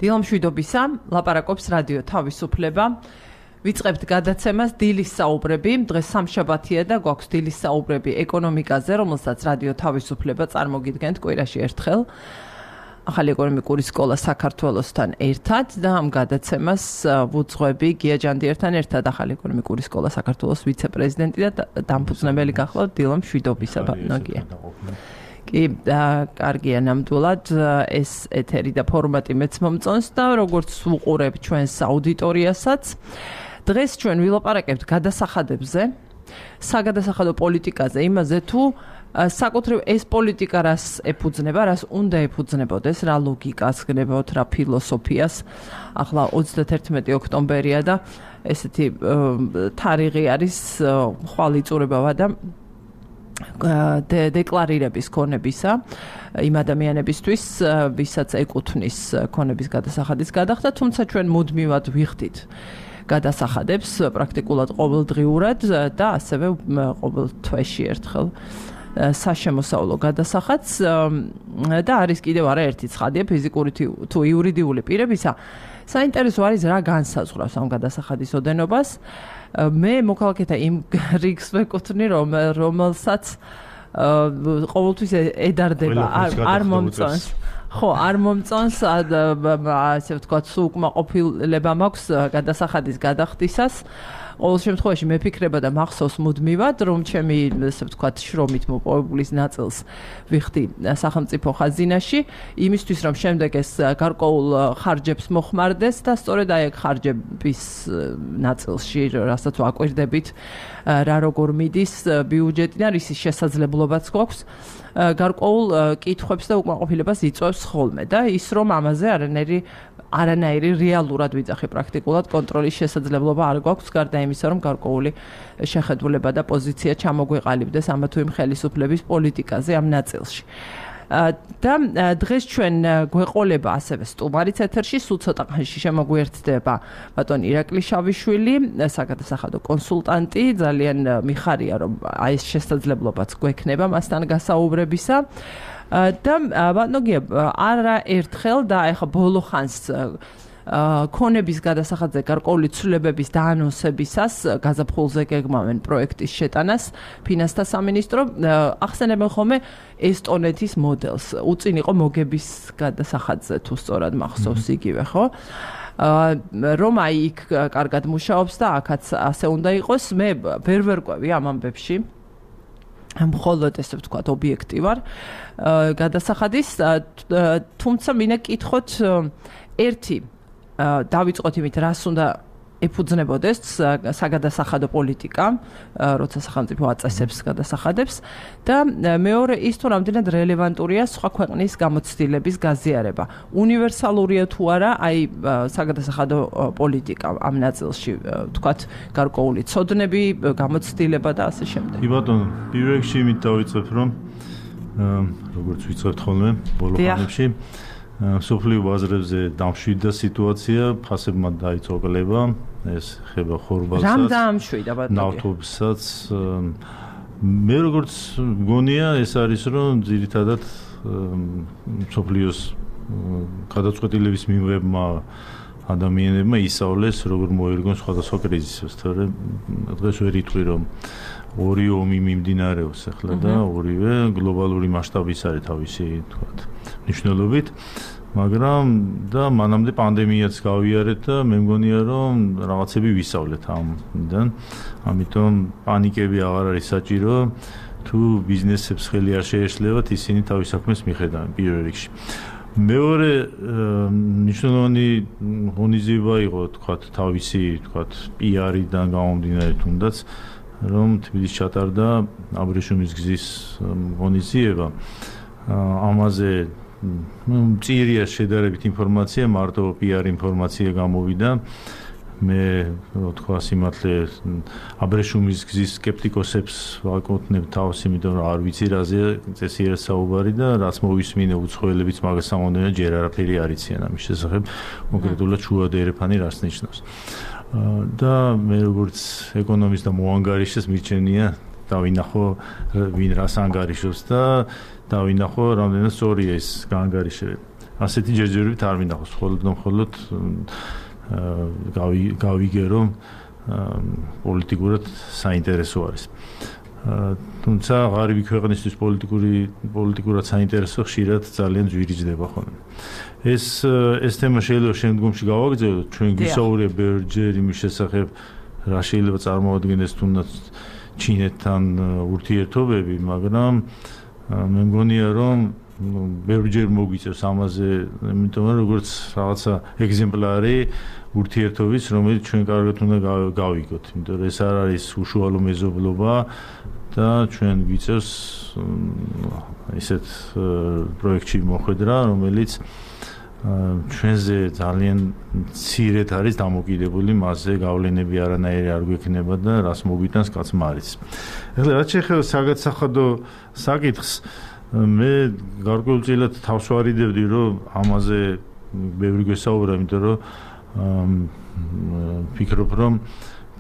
დილამშვიდობისა, ლაპარაკობს რადიო თავისუფლება. ვიწყებთ გადაცემას დილის საუბრები. დღეს სამშაბათია და გვაქვს დილის საუბრები ეკონომიკაზე, რომელსაც რადიო თავისუფლება წარმოგიდგენთ კვირაში ერთხელ. ახალი ეკონომიკური სკოლა საქართველოსთან ერთად და ამ გადაცემას ვუძღვები გია ჯანდიერთან ერთად ახალი ეკონომიკური სკოლა საქართველოს ვიცე-პრეზიდენტი და დამფუძნებელი გახლავთ დილამშვიდობისა ბატონო გია. კი, კარგია ნამდვილად ეს ეთერი და ფორმატი მეც მომწონს და როგორც ვუყურებ ჩვენს აუდიტორიასაც, დღეს ჩვენ ვილაპარაკებთ გადასახადებზე, საგადასახადო პოლიტიკაზე, იმაზე თუ საკუთრივ ეს პოლიტიკა რას ეფუძნება, რას უნდა ეფუძნებოდეს, რა ლოგიკას გნებოთ, რა ფილოსოფიას. ახლა 31 ოქტომბერია და ესეთი თარიღი არის ხვალ იწურებავა და დეკლარირების ქონებისა იმ ადამიანებისთვის, ვისაც ეკუთვნის ქონების გადასახადის გადახდა, თუმცა ჩვენ მუდმივად ვიხდით გადასახადებს პრაქტიკულად ყოველდღიურად და ასევე ყოველ თვეში ერთხელ საშემოსავლო გადასახადს და არის კიდევ არაერთი ცხადია ფიზიკური თუ იურიდიული პირებისა. საინტერესო არის რა განსაზღვრავს ამ გადასახადის ოდენობას. მე მოქალაქეთა იმ რიგს ვეკუთვნი, რომელსაც ყოველთვის ედარდება, არ მომწონს. ხო, არ მომწონს, ასე ვთქვათ, უკმაყოფილება მაქვს გადასახადის გადახდისას. ყოველ შემთხვევაში მეფიქრება და მახსოვს მუდმივად, რომ ჩემი, ასე ვთქვათ, შრომით მოპოვებულის ნაწილს ვიხდი სახელმწიფო ხაზინაში, იმისთვის, რომ შემდეგ ეს გარკვეულ ხარჯებს მოხმარდეს და სწორედ აი ეგ ხარჯების ნაწილში, რასაც ვაკვირდებით, რა როგორ მიდის ბიუჯეტიდან, რის შესაძლებლობაც გვაქვს, გარკვეულ კითხვებს და უკმაყოფილებას იწვევს ხოლმე და ის რომ ამაზე არანაირი რეალურად ვიძახი პრაქტიკულად კონტროლის შესაძლებლობა არ გვაქვს, გარდა იმისა, რომ გარკვეული შეხედულება და პოზიცია ჩამოგვეყალიბდეს ამა თუ იმ ხელისუფლების პოლიტიკაზე ამ ნაწილში. და დღეს ჩვენ გვეყოლება ასევე სტუმარიც ეთერში, სულ ცოტა ხანში შემოგვიერთდება ბატონი ირაკლი შავიშვილი, საგადასახადო კონსულტანტი, ძალიან მიხარია რომ აი ეს შესაძლებლობაც გვექნება მასთან გასაუბრებისა. და ბატონო გია, არა ერთხელ და ეხა ბოლო ხანს ქონების გადასახადზე გარკვეული ცვლილებების დაანონსებისას გაზაფხულზე გეგმავენ პროექტის შეტანას ფინანსთა სამინისტრო. ახსენებენ ხოლმე ესტონეთის მოდელს. უწინ იყო მოგების გადასახადზე თუ სწორად მახსოვს იგივე, ხო? რომ აი იქ კარგად მუშაობს და აქაც ასე უნდა იყოს. მე ვერ ვერკვევი ამ ამბებში. მხოლოდ ესე ვთქვათ ობიექტი ვარ გადასახადის, თუმცა მინდა კითხოთ ერთი დავიწყოთ იმით, რას უნდა ეფუძნებოდეს საგადასახადო პოლიტიკა, როცა სახელმწიფო აწესებს გადასახადებს და მეორე ის თუ რამდენად რელევანტურია სხვა ქვეყნის გამოცდილების გაზიარება. უნივერსალურია თუ არა აი საგადასახადო პოლიტიკა ამ ნაწილში, ვთქვათ, გარკვეული ცოდნები, გამოცდილება და ასე შემდეგ. კი ბატონო, პირველ რიგში იმით დავიწყებ, რომ როგორც ვიწყებთ ხოლმე ბოლო ხანებში სოფლიო ბაზრებზე დამშვიდდა სიტუაცია, ფასებმა დაიწყო კლება, ეს ხება ხორბალსაც, რამ დაამშვიდა ბატონო? ნავთობსაც. მე როგორც მგონია, ეს არის რომ ძირითადად სოფლიოს გადაწყვეტილების მიღებმა ადამიანებმა ისწავლეს, როგორ მოერგონ სხვადასხვა კრიზისებს, თორემ დღეს ვერ იტყვი რომ ორი ომი მიმდინარეობს ახლა და ორივე გლობალური მასშტაბის არის თავისი, თქვათ, მნიშვნელობით, მაგრამ და მანამდე პანდემიაც გავიარეთ და მე მგონია რომ რაღაცები ვისწავლეთ ამიდან, ამიტომ პანიკები აღარ არის საჭირო, თუ ბიზნესებს ხელი არ შეეშლებათ, ისინი თავის საქმეს მიხედავენ პირველ რიგში. მეორე მნიშვნელოვანი ღონისძიება იყო, თქვათ, თავისი, თქვათ, PR-დან გამომდინარე თუნდაც, რომ თბილისში ჩატარდა აბრეშუმის გზის ღონისძიება. ამაზე მწირია შედარებით ინფორმაცია, მარტო PR ინფორმაცია გამოვიდა. მე თქვა სიმართლე აბრეშუმის გზის სკეპტიკოსებს ვაკუთვნებ თავს, იმიტომ რომ არ ვიცი რაზე წესიერად საუბარი და რაც მოვისმინე უცხოელებიც მაგას ამბობენ, ჯერ არაფერი არ იციან ამის შესახებ, კონკრეტულად შუა და ერეფანი რას ნიშნავს. და მე როგორც ეკონომისტ და მოანგარიშეს მირჩენია დავინახო ვინ რას ანგარიშობს და დავინახო რამდენად სწორია ეს გაანგარიშება. ასეთი ჯერჯერობით არ მინახავს, მხოლოდ გავიგე რომ პოლიტიკურად საინტერესო არის. თუმცა ღარიბი ქვეყნისთვის პოლიტიკურად საინტერესო ხშირად ძალიან ძვირიჯდება ხოლმე. ეს თემა შეიძლება შემდგომში გავაგრძელოთ, ჩვენ გვისაუბრია ბევრჯერ იმის შესახებ, რა შეიძლება წარმოადგენდეს თუნდაც ჩინეთთან ურთიერთობები, მაგრამ მე მგონია რომ ბევრჯერ მოგვიწევს ამაზე, იმიტომ რომ როგორც რაღაცა ეგზემპლარი ურთიერთობის, რომელიც ჩვენ კარგად უნდა გავიგოთ, იმიტომ რომ ეს არ არის უშუალო მეზობლობა და ჩვენ გვიწევს ისეთ პროექტში მოხვედრა, რომელიც ჩვენზე ძალიან მცირედ არის დამოკიდებული, მასზე გავლენები არანაირი არ გვექნება და რას მოგვიტანს კაცმა არის. ეხლა რაც შეეხება საგადასახადო საკითხს, მე გარკვეულწილად თავს ვარიდებდი, რომ ამაზე ბევრი გვესაუბრა, იმიტომ რომ ფიქრობ, რომ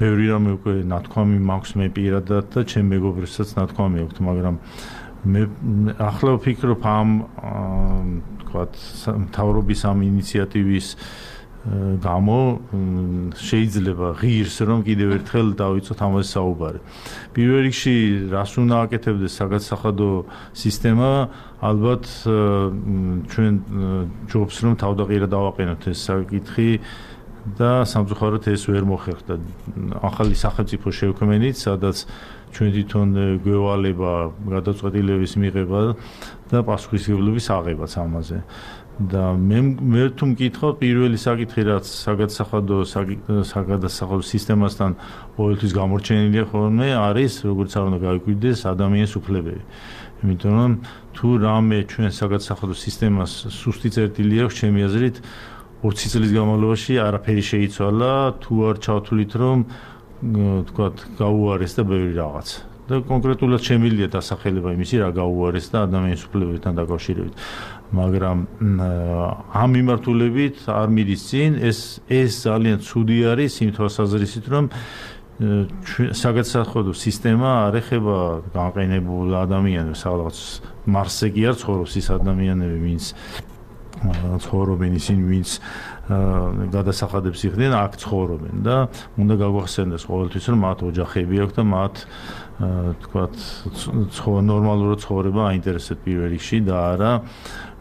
ბევრი რამე უკვე ნათქვამი მაქვს მე პირადად და ჩემ მეგობრებსაც ნათქვამი აქვს, მაგრამ მე ახლა ვფიქრობ ამ მთავრობის ამ ინიციატივის გამო შეიძლება ღირს რომ კიდევ ერთხელ დავიწყოთ ამაზე საუბარი. პირველ რიგში რას უნდა აკეთებდეს საგადასახადო სისტემა, ალბათ ჩვენ ჯობს რომ თავდაყირა დავაყენოთ ეს საკითხი და სამწუხაროდ ეს ვერ მოხერხდა. ახალი სახელმწიფო შევქმნით, სადაც ჩვენ თვითონ გვევალება გადაწყვეტილების მიღება და პასუხისმგებლობის აღებაც ამაზე. და მე თუ მკითხავ, პირველი საკითხი რაც საგადასახადო სისტემასთან ყოველთვის გამორჩენილია ხოლმე არის, როგორც არ უნდა გავიკვირდეს ადამიანის უფლებები. იმიტომ რომ თუ რამე ჩვენ საგადასახადო სისტემას სუსტი წერტილი აქვს, ჩემი აზრით 20 წლის განმავლობაში არაფერი შეიცვალა, თუ არ ჩავთვლით რომ თქვათ გაუარეს და ბევრი რაღაც. და კონკრეტულად შემიძლია დასახელება იმისი, რა გაუარეს და ადამიანის უფლებებთან დაკავშირებით. მაგრამ ამ მიმართულებით არ მიდის წინ, ეს ძალიან ცუდი არის იმ თვალსაზრისით, რომ საგადასახადო სისტემა არ ეხება განყენებულ ადამიანებს, რაღაც მარსზე კი არ ცხოვრობს ის ადამიანები, ვინც ცხოვრობენ ისინი, ვინც გადასახადებს იხდიან, აქ ცხოვრობენ და უნდა გაგვახსენდეს ყოველთვის, რომ მათ ოჯახები აქვს და მათ თქვათ ნორმალურად ცხოვრება აინტერესებს პირველ რიგში და არა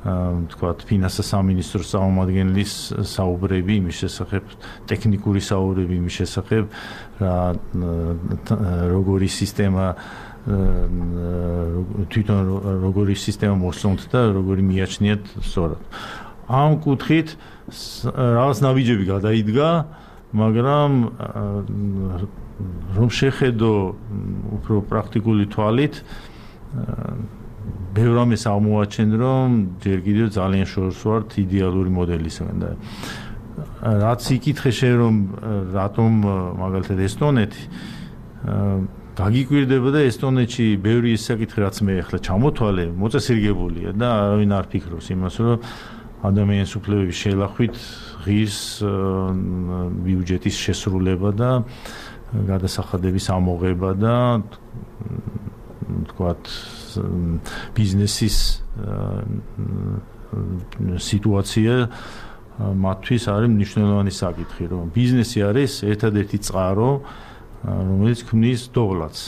თქვათ ფინანსთა სამინისტროს წარმომადგენლის საუბრები იმის შესახებ, ტექნიკური საუბრები იმის შესახებ, როგორი სისტემა თვითონ როგორი სისტემა მოსწონთ და როგორი მიაჩნიათ სწორად. ამ კუთხით რაღაც ნაბიჯები გადაიდგა, მაგრამ რომ შეხედო უფრო პრაქტიკული თვალით, ბევრ რამეს აღმოაჩენ, რომ ჯერ კიდევ ძალიან შორს ვართ იდეალური მოდელისგან და რაც იკითხე შენ რომ რატომ მაგალითად ესტონეთი გაგიკვირდება და ესტონეთში ბევრი ის საკითხი რაც მე ახლა ჩამოთვალე, მოწესრიგებულია და არავინ არ ფიქრობს იმას, რომ ადამიანის უფლებების შელახვით ღირს ბიუჯეტის შესრულება და გადასახადების ამოღება და თქვათ ბიზნესის სიტუაცია მათთვის არის მნიშვნელოვანი საკითხი, რომ ბიზნესი არის ერთადერთი წყარო, რომელიც ქმნის დოვლათს.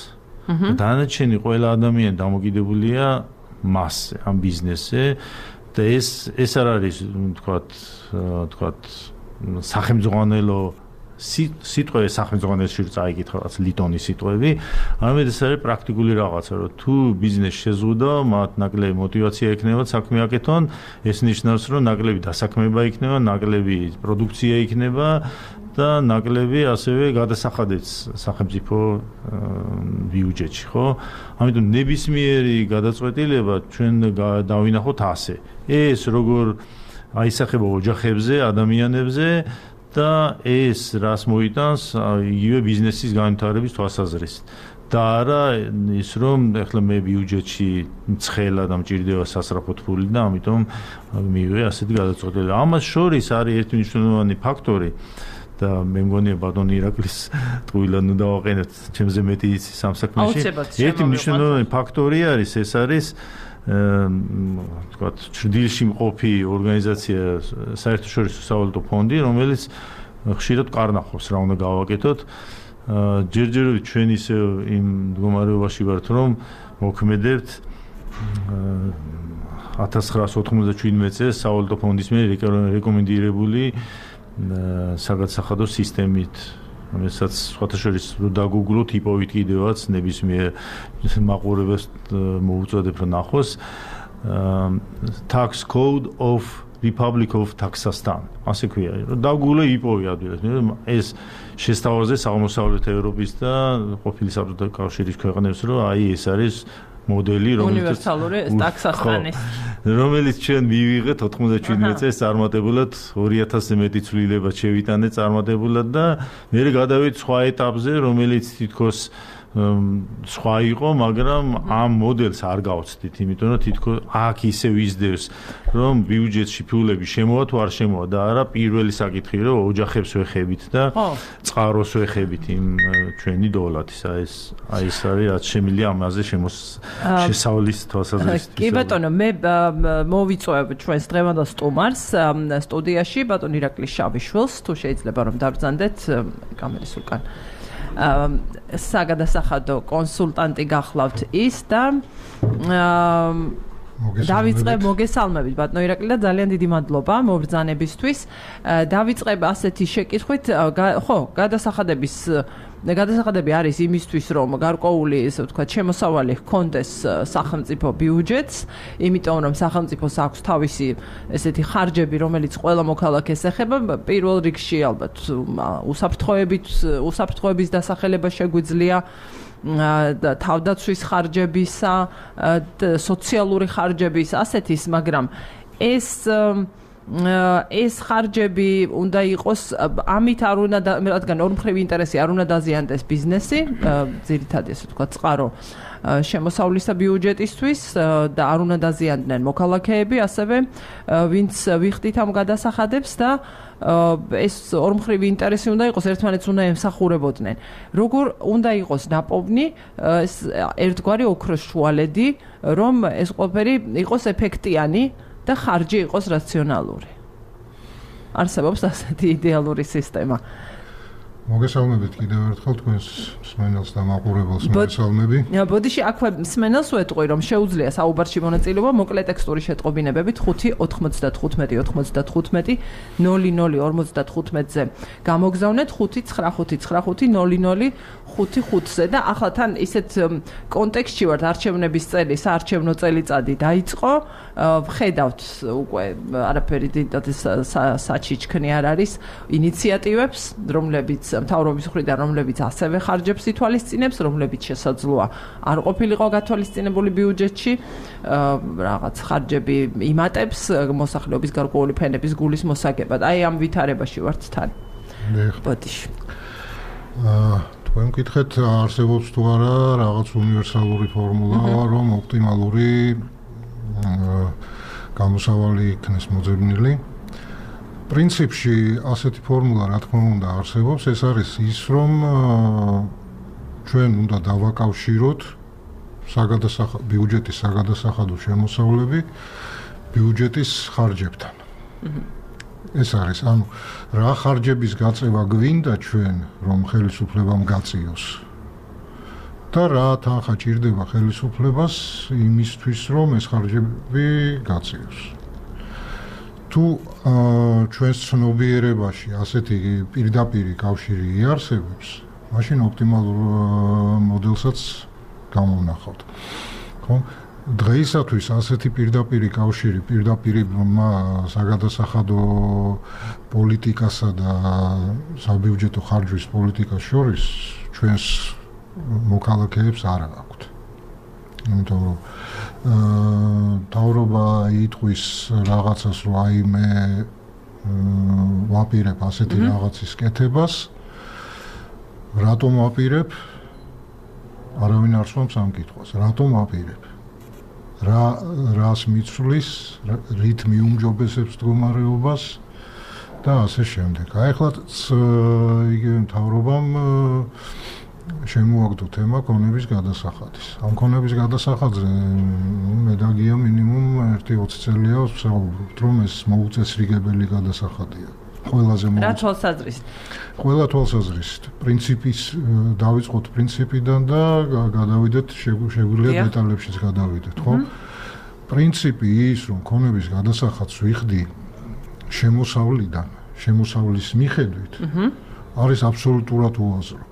დანარჩენი ყველა ადამიანი დამოკიდებულია მასზე, ამ ბიზნესზე და ეს არ არის თქვათ სახელმძღვანელო სიტყვები სახელმძღვანელოში წაიკითხა რაც ლიტონის სიტყვები, არამედ ეს არის პრაქტიკული რაღაცა, რომ თუ ბიზნესი შეზღუდო, მათ ნაკლები мотиваცია ექნება საქმე აკეთონ, ეს ნიშნავს, რომ ნაკლები დასაქმება იქნება, ნაკლები პროდუქცია იქნება და ნაკლები ასევე გადასახადებს სახელმწიფო ბიუჯეტში, ხო? ამიტომ ნებისმიერი გადაწყვეტილება ჩვენ დავინახოთ ასე. ეს როგორ აისახება ოჯახებზე, ადამიანებზე და ეს რას მოიტანს იგივე ბიზნესის განვითარების თვალსაზრისით. და არა ის რომ ეხლა მე ბიუჯეტში ცხელა და მჭირდება სასწრაფოდ ფული და ამიტომ მივიღე ასეთი გადაწყვეტილება. ამას შორის არის ერთი მნიშვნელოვანი ფაქტორი და მე მგონია ბატონი ირაკლის ტყუილად უნდა დავაყენოთ ჩემზე მეტი იცის ამ საქმეში. ერთი მნიშვნელოვანი ფაქტორი არის, ეს არის ვთქვათ, ჭრდილში მყოფი ორგანიზაცია საერთაშორისო სავალუტო ფონდი, რომელიც ხშირად კარნახობს რა უნდა გავაკეთოთ. ჯერჯერობით ჩვენ ისე იმ მდგომარეობაში ვართ, რომ მოქმედებთ 1997 წელს სავალუტო ფონდის მიერ რეკომენდირებული საგადასახადო სისტემით, რომელსაც სხვათა შორის დაგუგლოთ იპოვით კიდევაც ნებისმიერ მაყურებელს მოუწოდებ რომ ნახოს Tax Code of Republic of Kazakhstan. ასე ქვია, რომ დაგუგლე იპოვი ადვილად. ეს შესთავაზეს აღმოსავლეთ ევროპის და ყოფილი საბჭოთა კავშირის ქვეყნებს, რომ აი ეს არის მოდელი, უნივერსალური ტაქსახანის, რომელიც ჩვენ მივიღეთ 97 წელს წარმატებულად 2000-ზე მეტი ცვლილება შევიტანეთ წარმატებულად და მე გადავით სხვა ეტაპზე, რომელიც თითქოს სხვა იყო, მაგრამ ამ მოდელს არ გავცდით, იმიტომ რომ თითქოს აქ ისე ვიზდევს, რომ ბიუჯეტში ფულები შემოვა თუ არ შემოვა და არა პირველი საკითხი, რომ ოჯახებს ვეხებით და წყაროს ვეხებით იმ ჩვენი დოლათის. აი ეს არის რაც შემიძლია ამაზე შესავლის თვალსაზრისით. კი ბატონო, მე მოვიწვევ ჩვენს დღევანდელ სტუმარს სტუდიაში ბატონ ირაკლი შავიშვილს, თუ შეიძლება რომ დავბრძანდეთ კამერის უკან. საგადასახადო კონსულტანტი გახლავთ ის და დავიწყებ მოგესალმებით ბატონო ირაკლი და ძალიან დიდი მადლობა მობრძანებისთვის. დავიწყებ ასეთი შეკითხვით, ხო, გადასახადები არის იმისთვის, რომ გარკვეული, ესე ვთქვათ, შემოსავალი ჰქონდეს სახელმწიფო ბიუჯეტს, იმიტომ რომ სახელმწიფოს აქვს თავისი ესეთი ხარჯები, რომელიც ყველა მოქალაქეს ეხება, პირველ რიგში ალბათ უსაფრთხოების დასახელება შეგვიძლია თავდაცვის ხარჯებისა, სოციალური ხარჯების ასეთის, მაგრამ ეს ხარჯები უნდა იყოს ამით არ უნდა რადგან ორმხრივი ინტერესი არ უნდა დაზიანდეს ბიზნესი, ძირითადად ესე ვთქვათ, წყარო შემოსავლისა ბიუჯეტისთვის და არ უნდა დაზიანდნენ მოქალაქეები, ასევე ვინც ვიხდით ამ გადასახადებს და ეს ორმხრივი ინტერესი უნდა იყოს, ერთმანეთს უნდა ემსახურებოდნენ. როგორ უნდა იყოს ნაპოვნი ეს ერთგვარი ოქროს შუალედი, რომ ეს ყველაფერი იყოს ეფექტიანი და ხარჯი იყოს რაციონალური. არსებობს ასეთი იდეალური სისტემა. მოგესალმებით კიდევ ერთხელ თქვენს მსმენელს და მაყურებელს მოგესალმები. ბოდიში აქვე მსმენელს ვეტყვი, რომ შეუძლია საუბარში მონაწილეობა მოკლე ტექსტური შეტყობინებებით 5-95-95-00-55-ზე გამოგზავნეთ 5-9-5-9-5-0-0-5-5-ზე და ახლა თან ისეთ კონტექსტში ვართ, არჩევნების წელი, საარჩევნო წელიწადი დაიწყო, ვხედავთ უკვე არაფერი საჩიჩქნი არ არის ინიციატივებს, რომლებიც მთავრობის მხრიდან, რომლებიც ასევე ხარჯებს ითვალისწინებს, რომლებიც შესაძლოა არ ყოფილიყო გათვალისწინებული ბიუჯეტში, რაღაც ხარჯები იმატებს მოსახლეობის გარკვეული ფენების გულის მოსაგებად. აი ამ ვითარებაში ვართ თან. ბოდიში. თქვენ მკითხეთ, არსებობს თუ არა რაღაც უნივერსალური ფორმულა, რომ ოპტიმალური გამოსავალი იქნეს მოძებნილი. პრინციპში ასეთი ფორმულა რა თქმა უნდა არსებობს, ეს არის ის, რომ ჩვენ უნდა დავაკავშიროთ ბიუჯეტის საგადასახადო შემოსავლები ბიუჯეტის ხარჯებთან. ეს არის, ანუ რა ხარჯების გაწევა გვინდა ჩვენ, რომ ხელისუფლებამ გაწიოს და რა თანხა ჭირდება ხელისუფლებას იმისთვის, რომ ეს ხარჯები გაწიოს. თუ ჩვენს ცნობიერებაში ასეთი პირდაპირი კავშირი იარსებებს, მაშინ ოპტიმალურ მოდელსაც გამოვნახავთ. ხო? დღეისათვის ასეთი პირდაპირი კავშირი, პირდაპირი საგადასახადო პოლიტიკასა და საბიუჯეტო ხარჯვის პოლიტიკას შორის ჩვენს მოქალაქეებს არ აქვთ. იმიტომ რომ თავრობა იტყვის რაღაცას, რომ აი მე ვაპირებ ასეთი რაღაცის კეთებას, რატომ ვაპირებ? არავინ არ სვამს ამ კითხვას. რატომ ვაპირებ? რას მიცვლის, რით მიუმჯობესებს მდგომარეობას და ასე შემდეგ. აი ახლაც იგივე მთავრობამ შემოაგდო თემა ქონების გადასახადის. ამ ქონების გადასახადზე მე და გია მინიმუმ 1-20 წელია ვსაუბრობთ, რომ ეს მოუწესრიგებელი გადასახადია. ყველაზე რა თვალსაზრისით? ყველა თვალსაზრისით. პრინციპის დავიწყოთ პრინციპიდან და გადავიდეთ შეგვიძლია დეტალებშიც გადავიდეთ, ხო? პრინციპი ის, რომ ქონების გადასახადს ვიხდი შემოსავლიდან, შემოსავლის მიხედვით, არის აბსოლუტურად უაზრო.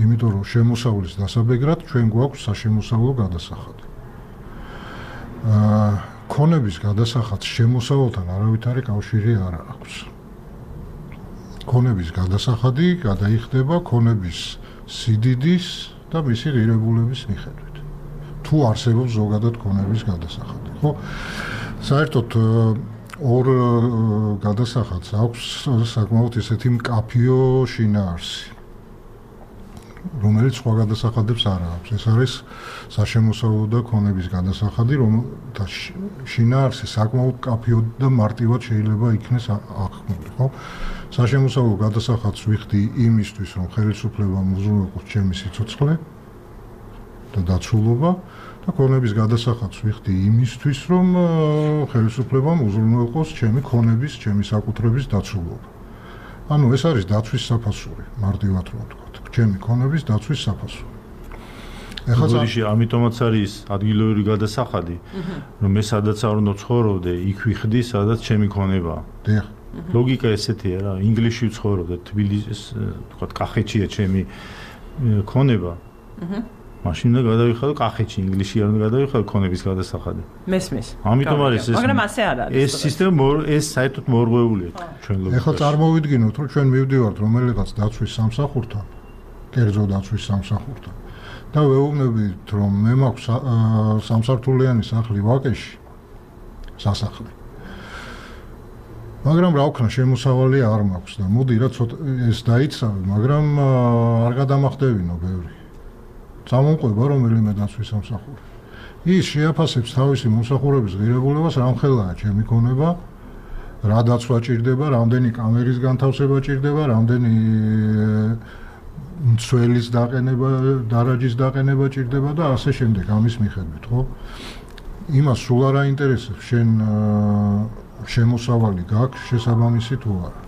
იმიტომ რომ შემოსავლის დასაბეგრად ჩვენ გვაქვს საშემოსავლო გადასახადი. ქონების გადასახადს შემოსავალთან არავითარი კავშირი არ აქვს. ქონების გადასახადი გადაიხდება ქონების სიდიდის და მისი ღირებულების მიხედვით. თუ არსებობს ზოგადად ქონების გადასახადი, ხო? საერთოდ ორ გადასახადს აქვს საკმაოდ ესეთი მკაფიო შინაარსი, რომელიც სხვა გადასახადებს არ აქვს. ეს არის საშემოსავლო და ქონების გადასახადი, რომელთა შინაარსი საკმაოდ მკაფიო და მარტივად შეიძლება იქნეს აღქმული, ხო? საშემოსავლო გადასახადს ვიხდი იმისთვის, რომ ხელისუფლებამ უზრუნველყოს ჩემი სიცოცხლე და დაცულობა და ქონების გადასახადს ვიხდი იმისთვის, რომ ხელისუფლებამ უზრუნველყოს ჩემი ქონების, ჩემი საკუთრების დაცულობა. ანუ ეს არის დაცვის საფასური, მარტივად რომ ვთქვათ, ჩემი ქონების დაცვის საფასური. ეხლა ამიტომაც არის ადგილობრივი გადასახადი, რომ მე სადაც არ უნდა ცხოვრობდე, იქ ვიხდი, სადაც ჩემი ქონებაა. დიახ. ლოგიკა ესეთია რა, ინგლისში ვცხოვრობდე, თბილისის, ვთქვათ, კახეთშია ჩემი ქონება. მაშინ უნდა გადავიხადო კახეთში, ინგლისში არ უნდა გადავიხადო ქონების გადასახადი. მესმის. ამიტომ არის ეს. მაგრამ ასე არ არის. ეს სისტემა ეს საერთოდ მორღვეულია ჩვენ ლოგიკაში. ეხლა წარმოვიდგინოთ, რომ ჩვენ მივდივართ რომელიღაც დაცვის სამსახურთან, კერძო დაცვის სამსახურთან და ვეუბნებით, რომ მე მაქვს სამსართულიანი სახლი ვაკეში, სასახლე. მაგრამ რა ვქნა, შემოსავალი არ მაქვს და მოდი რა ცოტა ეს დაიცავე, მაგრამ არ გადამახდებინო ბევრი. წამომყვება რომელიმე დაცვის სამსახური. ის შეაფასებს თავისი მომსახურების ღირებულებას, რამხელაა ჩემი ქონება, რა დაცვა ჭირდება, რამდენი კამერის განთავსება ჭირდება, რამდენი მცველის დაყენება, დარაჯის დაყენება ჭირდება და ასე შემდეგ, ამის მიხედვით, ხო? იმას სულ არ აინტერესებს შენ შემოსავალი გაქვს შესაბამისი თუ არა.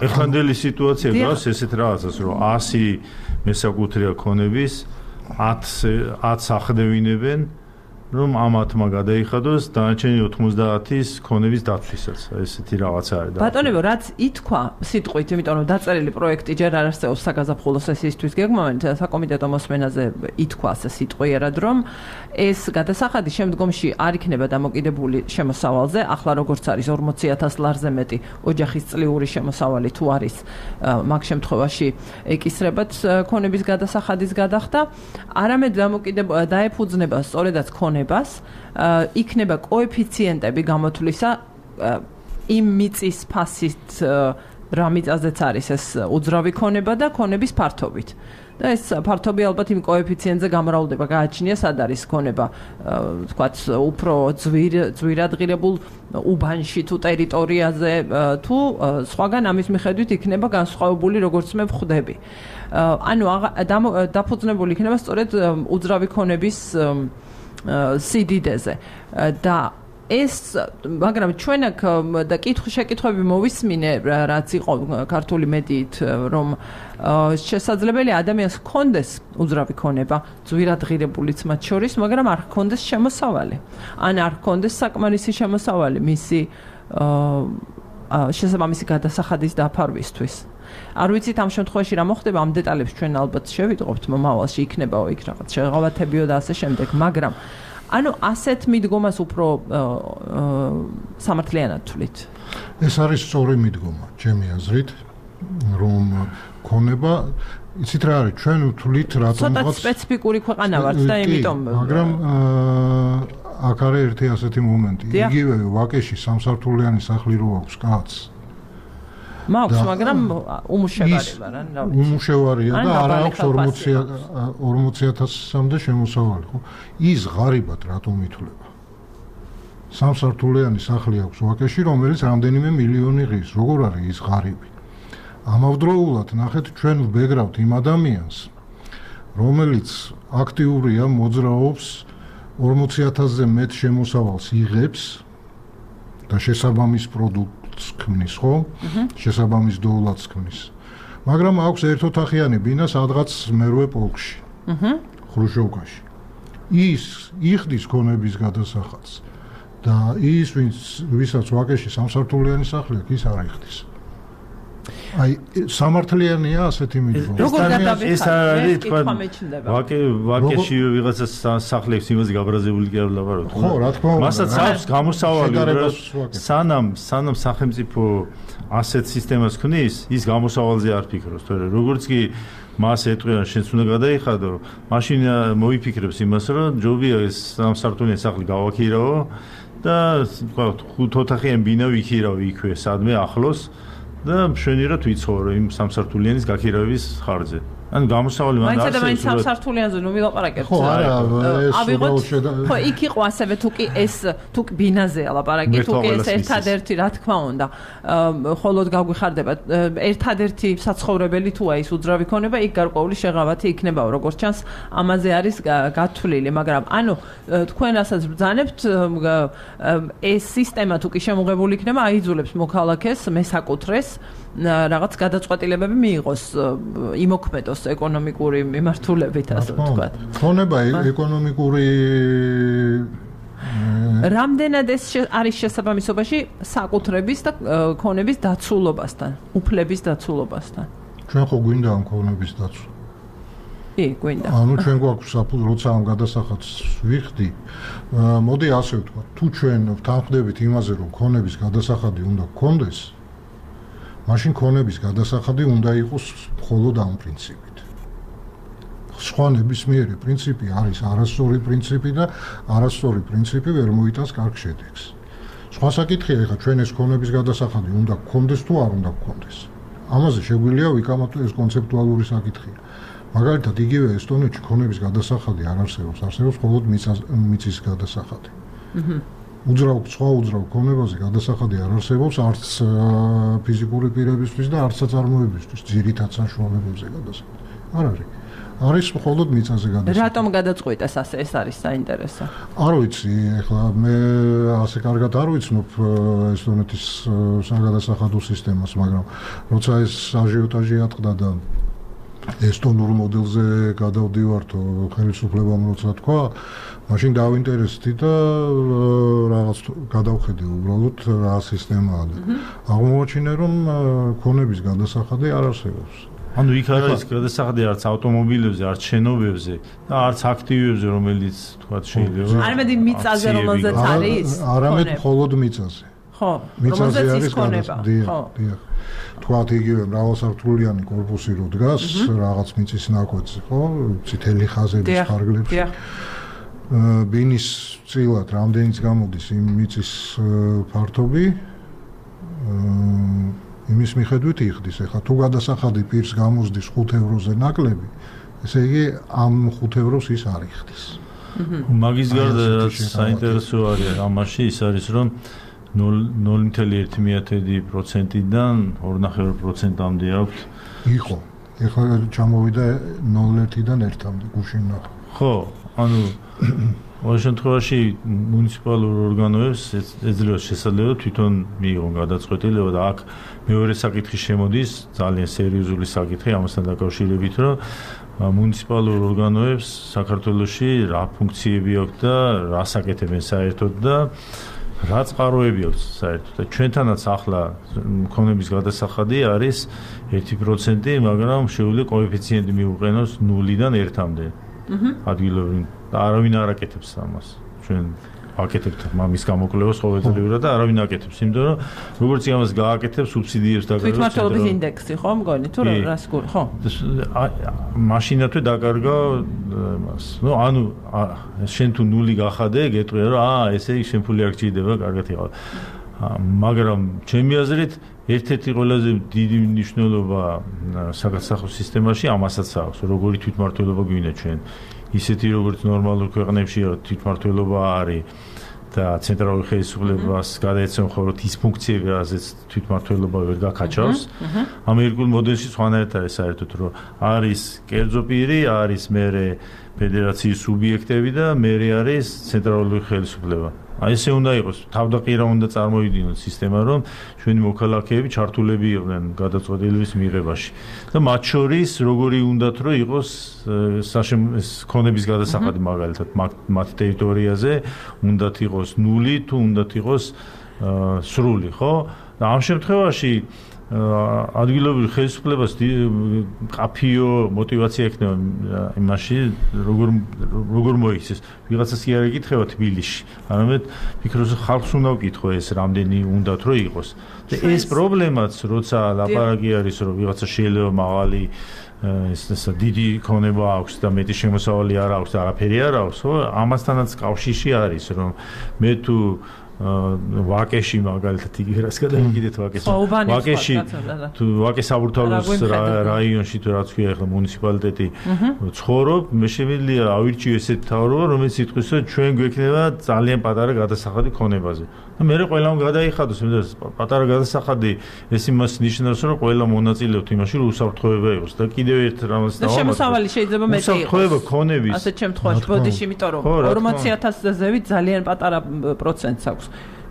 ეხანდელი სიტუაცია გავს ესეთ რაღაცას, რომ 100 მესაკუთრეა ქონების 10 ახდევინებენ, რომ ამათმა გადაიხადოს დანარჩენი 90-ის ქონების დაცვისაც. ესეთი რაღაცა არის. ბატონებო, რაც ითქვა სიტყვით, იმიტომ რომ დაწერილი პროექტი ჯერ არ არსებობს საგაზაფხულო სესიისთვის გეგმავენ, საკომიტეტო მოსმენაზე ითქვა ასე სიტყვიერად, რომ ეს გადასახადი შემდგომში არ იქნება დამოკიდებული შემოსავალზე, ახლა როგორც არის 40,000 ლარზე მეტი ოჯახის წლიური შემოსავალი თუ არის, მაგ შემთხვევაში ეკისრებათ ქონების გადასახადის გადახდა, არამედ დაეფუძნება სწორედაც ქონებას, იქნება კოეფიციენტები გამოთვლისა იმ მიწის ფასით, რა მიწაზეც არის ეს უძრავი ქონება და ქონების ფართობით. და ეს ფართობი ალბათ იმ კოეფიციენტზე გამრავლდება, გააჩნია სად არის ქონება, თქვათ, უფრო ძვირადღირებულ უბანში თუ ტერიტორიაზე თუ სხვაგან ამის მიხედვით იქნება განსხვავებული, როგორც მე ვხვდები. ანუ დაფუძნებული იქნება სწორედ უძრავი ქონების სიდიდეზე და ეს, მაგრამ ჩვენ აქ და შეკითხვები მოვისმინე, რაც იყო ქართული მედიით, რომ შესაძლებელია ადამიანს ჰქონდეს უძრავი ქონება, ძვირადღირებულიც მათ შორის, მაგრამ არ ჰქონდეს შემოსავალი. ან არ ჰქონდეს საკმარისი შემოსავალი მისი შესაბამისი გადასახადის დაფარვისთვის. არ ვიცით ამ შემთხვევაში რა მოხდება, ამ დეტალებს ჩვენ ალბათ შევიტყობთ მომავალში, იქნებაო იქ რაღაც შეღავათებიო და ასე შემდეგ, მაგრამ ანუ ასეთ მიდგომას უფრო სამართლიანად თვლით. ეს არის სწორი მიდგომა, ჩემი აზრით, რომ ქონება, იცით რა არის, ჩვენ ვთვლით რატომღაც ცოტა სპეციფიკური ქვეყანა ვართ და იმიტომ მაგრამ აქ არის ერთი ასეთი მომენტი. იგივე ვაკეში სამსართულიანი სახლი რო აქვს კაცს. მაქვს, მაგრამ უმუშევარი ვარ, ან რა ვიცი. უმუშევარია და არ აქვს 40,000-მდე შემოსავალი, ხო? ის ღარიბად რატომ ითვლება? სამსართულიანი სახლი აქვს ვაკეში, რომელიც რამდენიმე მილიონი ღირს. როგორ არის ის ღარიბი? ამავდროულად ნახეთ ჩვენ ვბეგრავთ იმ ადამიანს, რომელიც აქტიურია, მოძრაობს 40,000-ზე მეტ შემოსავალს იღებს და შესაბამის პროდუქტს ქმნის, ხო? შესაბამის დოულადს ქმნის. მაგრამ აქვს ერთოთახიანი ბინა სადღაც მერვე პოლკში. ხრუშოვკაში. ის იხდის ქონების გადასახადს და ის ვისაც ვაკეში სამსართულიანი სახლი აქვს, ის არ იხდის. აი სამართლიანია ასეთი მიდგომა. ეს არის თქვა ვაკეში ვიღაცა სახლებს იმაზე გაბრაზებული კი არ ვლაპარაკობ. ხო, რა თქმა უნდა. მასაც აქვს გამოსავალი, სანამ სახელმწიფო ასეთ სისტემას ქმნის, ის გამოსავალზე არ ფიქრობს, თორე როგორც კი მას ეტყვიან შენც უნდა გადაიხადო, მაშინ მოიფიქრებს იმას, რომ ჯობია ეს სამსართულიანი სახლი გავაქირავო და თქვა 5 ოთახიანი ბინა ვიქირავ იქვე სადმე ახლოს და მშვენიერად ვიცხოვრო იმ სამსართულიანის გაქირავების ხარჯზე. ანუ გამოსავალი მანდ არის. მაინც სამსართულიანზე ნუ ვილაპარაკებთ. ხო, არა, ხო, იქ იყო ასევე თუ კი ბინაზეა ლაპარაკი, თუ კი ეს ერთადერთი, რა თქმა უნდა, ხოლოდ გაგვიხარდება ერთადერთი საცხოვრებელი თუ აი ეს უძრავი ქონება, იქ გარკვეული შეღავათი იქნებაო, როგორც ჩანს, ამაზე არის გათვლილი, მაგრამ ანუ თქვენ რასაც ბრძანებთ, ეს სისტემა თუ კი შემოღებული იქნება, აიძულებს მოქალაქეს მესაკუთრეს რაღაც გადაწყვეტილებები მიიღოს, იმოქმედოს ეკონომიკური მიმართულებით, ასე ვთქვათ. ქონება ეკონომიკური რამდენად ეს არის შესაბამისობაში საკუთრების და ქონების დაცულობასთან, უფლების დაცულობასთან. ჩვენ ხო გვინდა ამ ქონების დაცვა? კი, გვინდა. ანუ ჩვენ გვაქვს როცა ამ გადასახადს ვიხდი, მოდი ასე ვთქვათ, თუ ჩვენ ვთანხმდებით იმაზე, რომ ქონების გადასახადი უნდა გქონდეს, მაშინ ქონების გადასახადი უნდა იყოს მხოლოდ ამ პრინციპით. სხვა ნებისმიერი პრინციპი არის არასწორი პრინციპი და არასწორი პრინციპი ვერ მოიტანს კარგ შედეგს. სხვა საკითხია, ეხლა ჩვენ ეს ქონების გადასახადი უნდა გქონდეს თუ არ უნდა გქონდეს. ამაზე შეგვიძლია ვიკამათო, ეს კონცეპტუალური საკითხია. მაგალითად, იგივე ესტონეთში ქონების გადასახადი არ არსებობს, არსებობს მხოლოდ მიწის გადასახადი. სხვა უძრავ ქონებაზე გადასახადი არ არსებობს არც ფიზიკური პირებისთვის და არც საწარმოებისთვის, ძირითად საშუალებებზე გადასახადი. არ არის. არის მხოლოდ მიწაზე გადასახადი. რატომ გადაწყვიტეს ასე? ეს არის საინტერესო. არ ვიცი, ეხლა მე ასე კარგად არ ვიცნობ ესტონეთის საგადასახადო სისტემას, მაგრამ როცა ეს აჟიოტაჟი ატყდა და ესტონურ მოდელზე გადავდივართო ხელისუფლებამ როცა თქვა, მაშინ დავინტერესდი და რაღაც გადავხედე უბრალოდ რა სისტემაა და აღმოაჩინე რომ ქონების გადასახადი არ არსებობს. ანუ იქ არ არის გადასახადი არც ავტომობილებზე, არც შენობებზე და არც აქტივებზე, რომელიც თქვა შეიძლება. არამედ მიწაზე რომელზეც არის? არამედ მხოლოდ მიწაზე. ხო, მიწაზე არის გადასახადი. ხო. თქვათ იგივე მრავალსართულიანი კორპუსი რო დგას რაღაც მიწის ნაკვეთზე, ხო? წითელი ხაზების ფარგლებში. ბინის წილად რამდენიც გამოდის იმ მიწის ფართობი, იმის მიხედვით იხდის. ეხლა თუ გადასახადი პირს გამოსდის 5 ევროზე ნაკლები, ესე იგი ამ 5 ევროს ის არ იხდის. მაგის გარდა რაც საინტერესო არის ამაში ის არის რომ 0.1%-დან 2.5%-მდე აქვს. იყო. ეხლა ჩამოვიდა 0.1-დან 1-მდე გუშინ ნახე. ხო, ანუ ყოველ შემთხვევაში მუნიციპალურ ორგანოებს ეძლევა შესაძლებლობა თვითონ მიიღონ გადაწყვეტილება და აქ მეორე საკითხი შემოდის, ძალიან სერიოზული საკითხი ამასთან დაკავშირებით, რომ მუნიციპალურ ორგანოებს საქართველოში რა ფუნქციები აქვს და რა საკეთებენ საერთოდ და რა წყაროები აქვს საერთოდ და ჩვენთანაც ახლა ქონების გადასახადი არის 1%, მაგრამ შეუძლია კოეფიციენტი მიუყენოს 0-დან 1-მდე. ადგილობრივ და არავინ არ აკეთებს ამას. ჩვენ ვაკეთებთ მამის გამოკვლევას ყოველდღიურად და არავინ აკეთებს, იმიტომ რომ როგორც იმას გააკეთებს სუბსიდიებს დაკარგავს. თვითმმართველობის ინდექსი ხო მგონი თუ რას გული ხო? მაშინათვე დაკარგა მას. ნუ ანუ შენ თუ 0 გახადე, გეტყვია რომ ესე იგი შენ ფული არ გჭირდება, კარგად იყავ. მაგრამ ჩემი აზრით ერთ-ერთი ყველაზე დიდი მნიშვნელობა საგადასახადო სისტემაში ამასაც აქვს, როგორი თვითმმართველობა გვინდა ჩვენ. ისეთი როგორც ნორმალურ ქვეყნებში თვითმმართველობა არის და ცენტრალური ხელისუფლებას გადაეცემა ხოლმე ის ფუნქციები, რაზეც თვითმმართველობა ვერ გაკაჩავს. ამერიკულ მოდელში სხვანაირად არის საერთოდ, რომ არის კერძო პირი, არის მერე ფედერაციის სუბიექტები და მერე არის ცენტრალური ხელისუფლება. აი ესე უნდა იყოს, თავდაყირა უნდა წარმოვიდგინოთ სისტემა, რომ ჩვენი მოქალაქეები ჩართულები იყვნენ გადაწყვეტილების მიღებაში. და მათ შორის როგორი უნდათ რომ იყოს ქონების გადასახადი მაგალითად მათ ტერიტორიაზე უნდათ იყოს ნული თუ უნდათ იყოს სრული, ხო? და ამ შემთხვევაში ადგილობრივ ხელისუფლებას ყაფიო мотиваცია ექნება იმაში როგორ მოიქცეს ვიღაცას კი არ ეკითხება თბილისში არამედ ფიქრობს ხალხს უნდა ვკითხო ეს რამდენი უნდათ რომ იყოს და ეს პრობლემაც როცა ლაპარაკი არის რომ ვიღაცა შეიძლება მაღალი ეს დიდი ქონება აქვს და მეტი შემოსავალი არ აქვს და არაფერი არ აქვს ხო ამასთანაც კავშირში არის რომ მე თუ ვაკეში მაგალითად იგი რას გადაიგიდეთ ვაკეში თუ ვაკეს საბურთალოს რაიონში თუ რაც ქვია ახლა მუნიციპალიტეტი ცხოვრობ მე შემიძლია ავირჩიო ესეთ თავრობა რომელიც იტყვის რომ ჩვენ გვექნება ძალიან პატარა გადასახადი ქონებაზე და მე ყველამ გადაიხადოს მე პატარა გადასახადი ეს იმას ნიშნავს რომ ყველა მონაწილეობთ იმაში რომ უსაფრთხოება იყოს და კიდევ ერთ რამაც დავამატებ შემოსავალი შეიძლება მეტი იყოს უსაფრთხოება ქონების ასეთ შემთხვევაში ბოდიში იმიტომ რომ 400,000-ზე ზევით ძალიან პატარა პროცენტს აქვს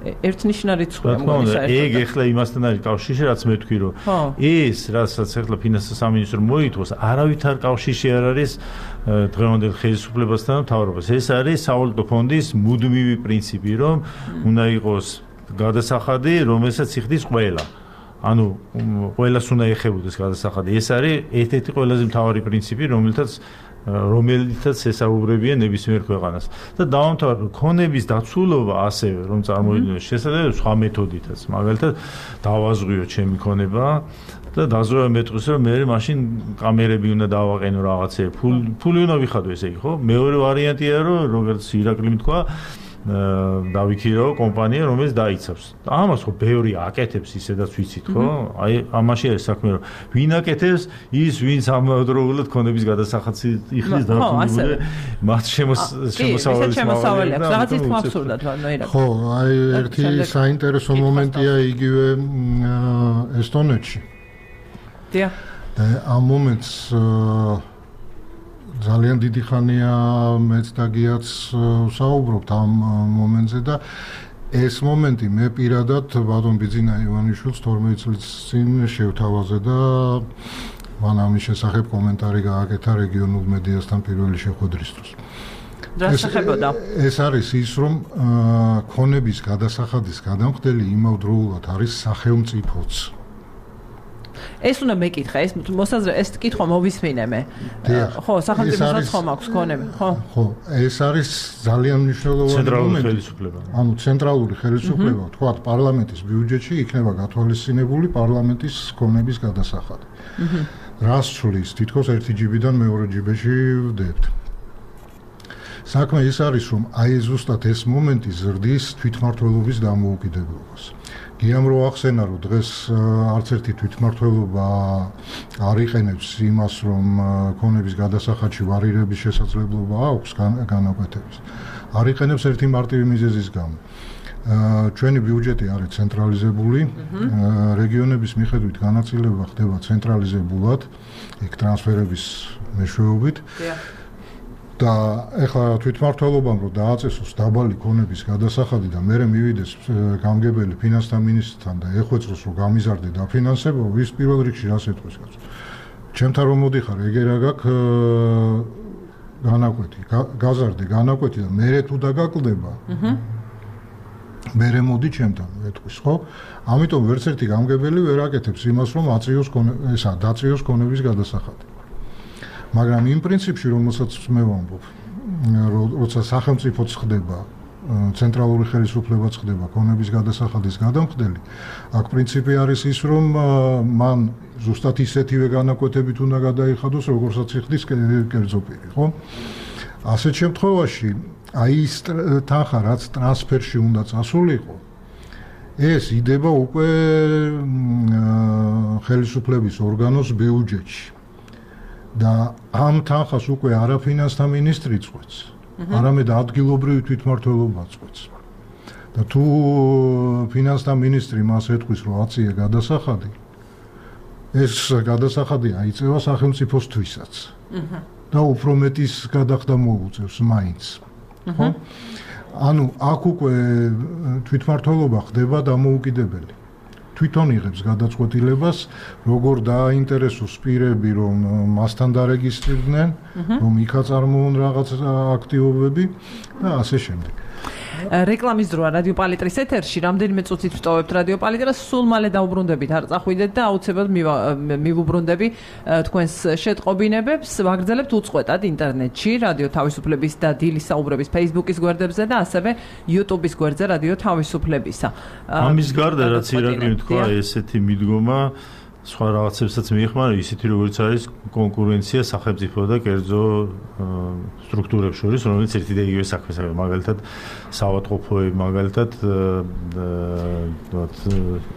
ერთნიშნა რიცხვია მგონი საერთოდ. ეგ ეხლა იმასთან არის კავშირში, რაც მე თქვი რომ ეს რასაც ეხლა ფინანსთა სამინისტრო მოითხოვს, არავით არ კავშირში არ არის დღევანდელ ხელისუფლებასთან და მთავრობას. ეს არის სავალუტო ფონდის მუდმივი პრინციპი, რომ უნდა იყოს გადასახადი, რომელსაც იხდის ყველა. ანუ ყველას უნდა ეხებოდეს გადასახადი. ეს არის ერთ-ერთი ყველაზე მთავარი პრინციპი, რომელიცაც ესაუბრებია ნებისმიერ ქვეყანას. და დავამთავრებ, ქონების დაცულობა ასევე, რომ წარმოვიდგინოთ, შესაძლოა სხვა მეთოდითაც. მაგალითად, დავაზღვიო ჩემი ქონება და დაზღვევა მეტყვის, რომ მე მაშინ კამერები უნდა დავაყენო რაღაცე, ფული უნდა ვიხადო ესე იგი, ხო? მეორე ვარიანტია, რომ როგორც ირაკლიმ თქვა, დავიქირო კომპანია, რომელიც დაიცავს. ამას ხო ბევრი აკეთებს ისედაც ვიცით, ხო? აი ამაში არის საქმე, რომ ვინ აკეთებს, ის ვინც ამავდროულად ქონების გადასახადს იხდის დარწმუნებული, მათ შემოსავალი აქვს. რაღაც ის ხმავსურდათ, ნოირა. ხო, აი ერთი საინტერესო მომენტია იგივე ესტონეთში. დიახ. და ამ მომენტს ძალიან დიდი ხანია მეც და გიაც საუბრობთ ამ მომენტზე და ეს მომენტი მე პირადად ბატონ ბიძინა ივანიშვილს 12 წლის წინ შევთავაზე და მან ამის შესახებ კომენტარი გააკეთა რეგიონულ მედიასთან პირველი შეხვედრისთვის. ეს არის ის რომ ქონების გადასახადის გადამხდელი იმავდროულად არის სახელმწიფოც. ეს უნდა მეკითხა, ეს მოსაზრე, ეს კითხვა მოვისმინე მე. ხო, სახელმწიფოსაც ხომ აქვს ქონები, ხო? ხო, ეს არის ძალიან მნიშვნელოვანი ცენტრალური ხელისუფლება. ანუ ცენტრალური ხელისუფლება, თქვათ, პარლამენტის ბიუჯეტში იქნება გათვალისწინებული პარლამენტის ქონების გადასახადი. რას ცვლის, თითქოს ერთი ჯიბიდან მეორე ჯიბეში ვდებთ. საქმე ის არის, რომ აი ზუსტად ეს მომენტი ზრდის თვითმმართველობის დამოუკიდებლობას. გიამ რო ახსენა რომ დღეს არც ერთი თვითმმართველობა არ იყენებს იმას რომ ქონების გადასახადში ვარირების შესაძლებლობა აქვს განაკვეთების. არ იყენებს ერთი მარტივი მიზეზის გამო. ჩვენი ბიუჯეტი არის ცენტრალიზებული, რეგიონების მიხედვით განაწილება ხდება ცენტრალიზებულად, იქ ტრანსფერების მეშვეობით. და ეხლა თვითმმართველობამ რომ დააწესოს დაბალი ქონების გადასახადი და მერე მივიდეს გამგებელი ფინანსთა მინისტრთან და ეხვეწროს რომ გამიზარდე დაფინანსება, ვის პირველ რიგში რას ეტყვის კაცო. ჩემთან რომ მოდიხარ, ეგერ აგაკ განაკვეთი, გაზარდე განაკვეთი და მერე თუ დაგაკლდება. მერე მოდი ჩემთან ეტყვის, ხო? ამიტომ ვერც ერთი გამგებელი ვერ აკეთებს იმას რომ დაწიოს ქონების გადასახადი. მაგრამ იმ პრინციპში, რომელსაც მე ვამბობ, როცა სახელმწიფოც ხდება, ცენტრალური ხელისუფლებაც ხდება ქონების გადასახადის გადამხდელი, აქ პრინციპი არის ის, რომ მან ზუსტად ისეთივე განაკვეთებით უნდა გადაიხადოს, როგორცაც იხდის კერძო პირი, ხო? ასეთ შემთხვევაში, აი ის თანხა, რაც ტრანსფერში უნდა წასულიყო, ეს იდება უკვე ხელისუფლების ორგანოს ბიუჯეტში. და ამ თანხას უკვე არა ფინანსთა მინისტრი წყვეტს, არამედ ადგილობრივი თვითმმართველობა წყვეტს. და თუ ფინანსთა მინისტრი მას ეთქვის, რომ აციე გადასახადი, ეს გადასახადი აიწევა სახელმწიფოსთვისაც. და უფრო მეტის გადახდა მოუწევს მაინც. ხო? ანუ აქ უკვე თვითმმართველობა ხდება დამოუკიდებელი. თვითონ იღებს გადაწყვეტილებას, როგორ დააინტერესოს პირები, რომ მასთან დარეგისტრირდნენ, რომ იქა წარმოონ რაღაც აქტივობები და ასე შემდეგ. რეკლამის დროა რადიო პალიტრის ეთერში, რამდენიმე წუთით ვტოვებთ რადიო პალიტრას, სულ მალე დაუბრუნდებით, არ წახვიდეთ და აუცილებლად მივუბრუნდები თქვენს შეტყობინებებს, ვაგრძელებთ უწყვეტად ინტერნეტში, რადიო თავისუფლების და დილის საუბრების Facebook-ის გვერდებზე და ასევე YouTube-ის გვერდზე რადიო თავისუფლებისა. ამის გარდა რაც ირაკლი თქვა, ესეთი მიდგომა სხვა რაღაცებსაც მიეხმარა, ისეთი როგორც არის კონკურენცია სახელმწიფო და კერძო სტრუქტურებს შორის, რომელიც ერთი და იგივე საქმეს აკეთებს, მაგალითად საავადმყოფოები, მაგალითად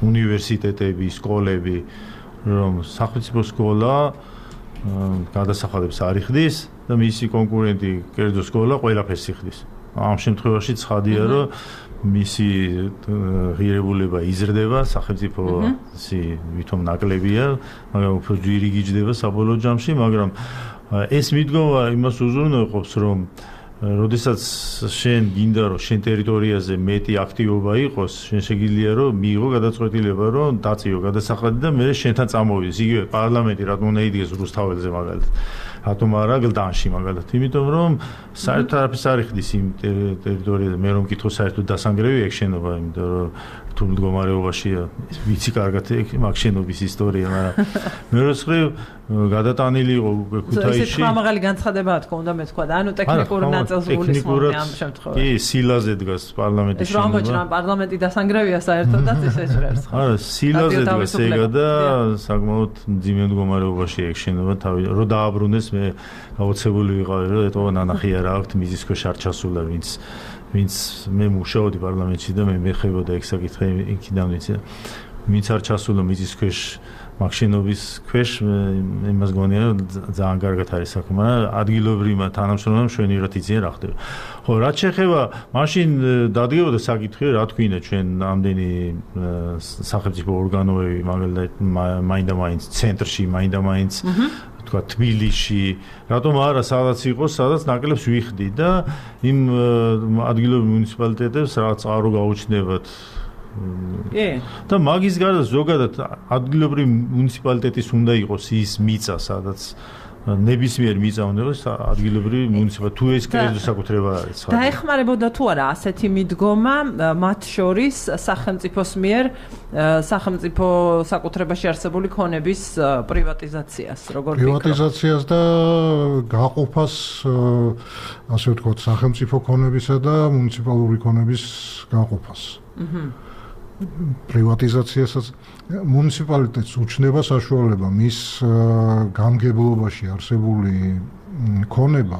უნივერსიტეტები, სკოლები, რომ სახელმწიფო სკოლა გადასახადებს არ იხდის და მისი კონკურენტი კერძო სკოლა ყველაფერს იხდის. ამ შემთხვევაში ცხადია, რომ მისი ღირებულება იზრდება, სახელმწიფო ვითომ ნაკლებია, მაგრამ უფრო ძვირი გიჯდება საბოლოო ჯამში, მაგრამ ეს მიდგომა იმას უზრუნველყოფს, რომ როდესაც შენ გინდა, რომ შენ ტერიტორიაზე მეტი აქტივობა იყოს, შენ შეგიძლია, რომ მიიღო გადაწყვეტილება, რომ დაწიო გადასახადი და მე შენთან წამოვიდეს. იგივე პარლამენტი რატომ უნდა იდგეს რუსთაველზე მაგალითად. რატომ არა გლდანში მაგალითად? იმიტომ რომ საერთოდ არაფერს არ იხდის იმ ტერიტორიაზე. მე რომ მკითხო საერთოდ დასანგრევი ეგ შენობა, იმიტომ რომ თუ მდგომარეობაშია, ვიცი კარგად მაგ შენობის ისტორია, მაგრამ მეორე მხრივ გადატანილი იყო ქუთაისში. ეს ხმამაღალი განცხადებაა თქო, უნდა მეთქვა და ანუ ტექნიკურ ნაწილს გულისხმობ ამ შემთხვევაში. კი, სილაზე დგას პარლამენტის შენობა. ეს რომ მოჭრა პარლამენტი დასანგრევია საერთოდ და ეს ეჭვერს. არა, სილაზე დგას ეგა და საკმაოდ მძიმე მდგომარეობაში ეგ შენობა თავი რომ დააბრუნდეს მე გაოცებული ვიყავი რომ ეტყობა ნანახი არა აქვს მიზის ქვეშ არ ჩასულა ვინც მე მუშაობდი პარლამენტში და მე მეხებოდა ეგ საკითხი იქიდან ვიცი ვინც არ ჩასულა მიზის ქვეშ მაგ შენობის ქვეშ იმას გონია რომ ძალიან კარგად არის საქმე ადგილობრივმა თანამშრომლებმა შვენივრად იციან რა ხდება ხო რაც შეეხება მაშინ დადგებოდა საკითხი რა თქვინა ჩვენ ამდენი სახელმწიფო ორგანოები მაგალითად მაინდა-მაინც ცენტრში მაინდა-მაინც თქვა თბილისში რატომ არა სადაც იყოს სადაც ნაკლებს ვიხდი და იმ ადგილობრივ მუნიციპალიტეტებს რაღაც წყარო გაუჩნდებათ და მაგის გარდა ზოგადად ადგილობრივი მუნიციპალიტეტის უნდა იყოს ის მიწა სადაც ნებისმიერ მიწა უნდა იყოს ადგილობრივი მუნიციპალიტეტი თუ ეს კერძო საკუთრება არის დაეხმარებოდა თუ არა ასეთი მიდგომა მათ შორის სახელმწიფოს მიერ სახელმწიფო საკუთრებაში არსებული ქონების პრივატიზაციას როგორ პრივატიზაციას და გაყოფას ასე ვთქვათ სახელმწიფო ქონებისა და მუნიციპალური ქონების გაყოფას პრივატიზაციასაც მუნიციპალიტეტს უჩნდება საშუალება მის გამგებლობაში არსებული ქონება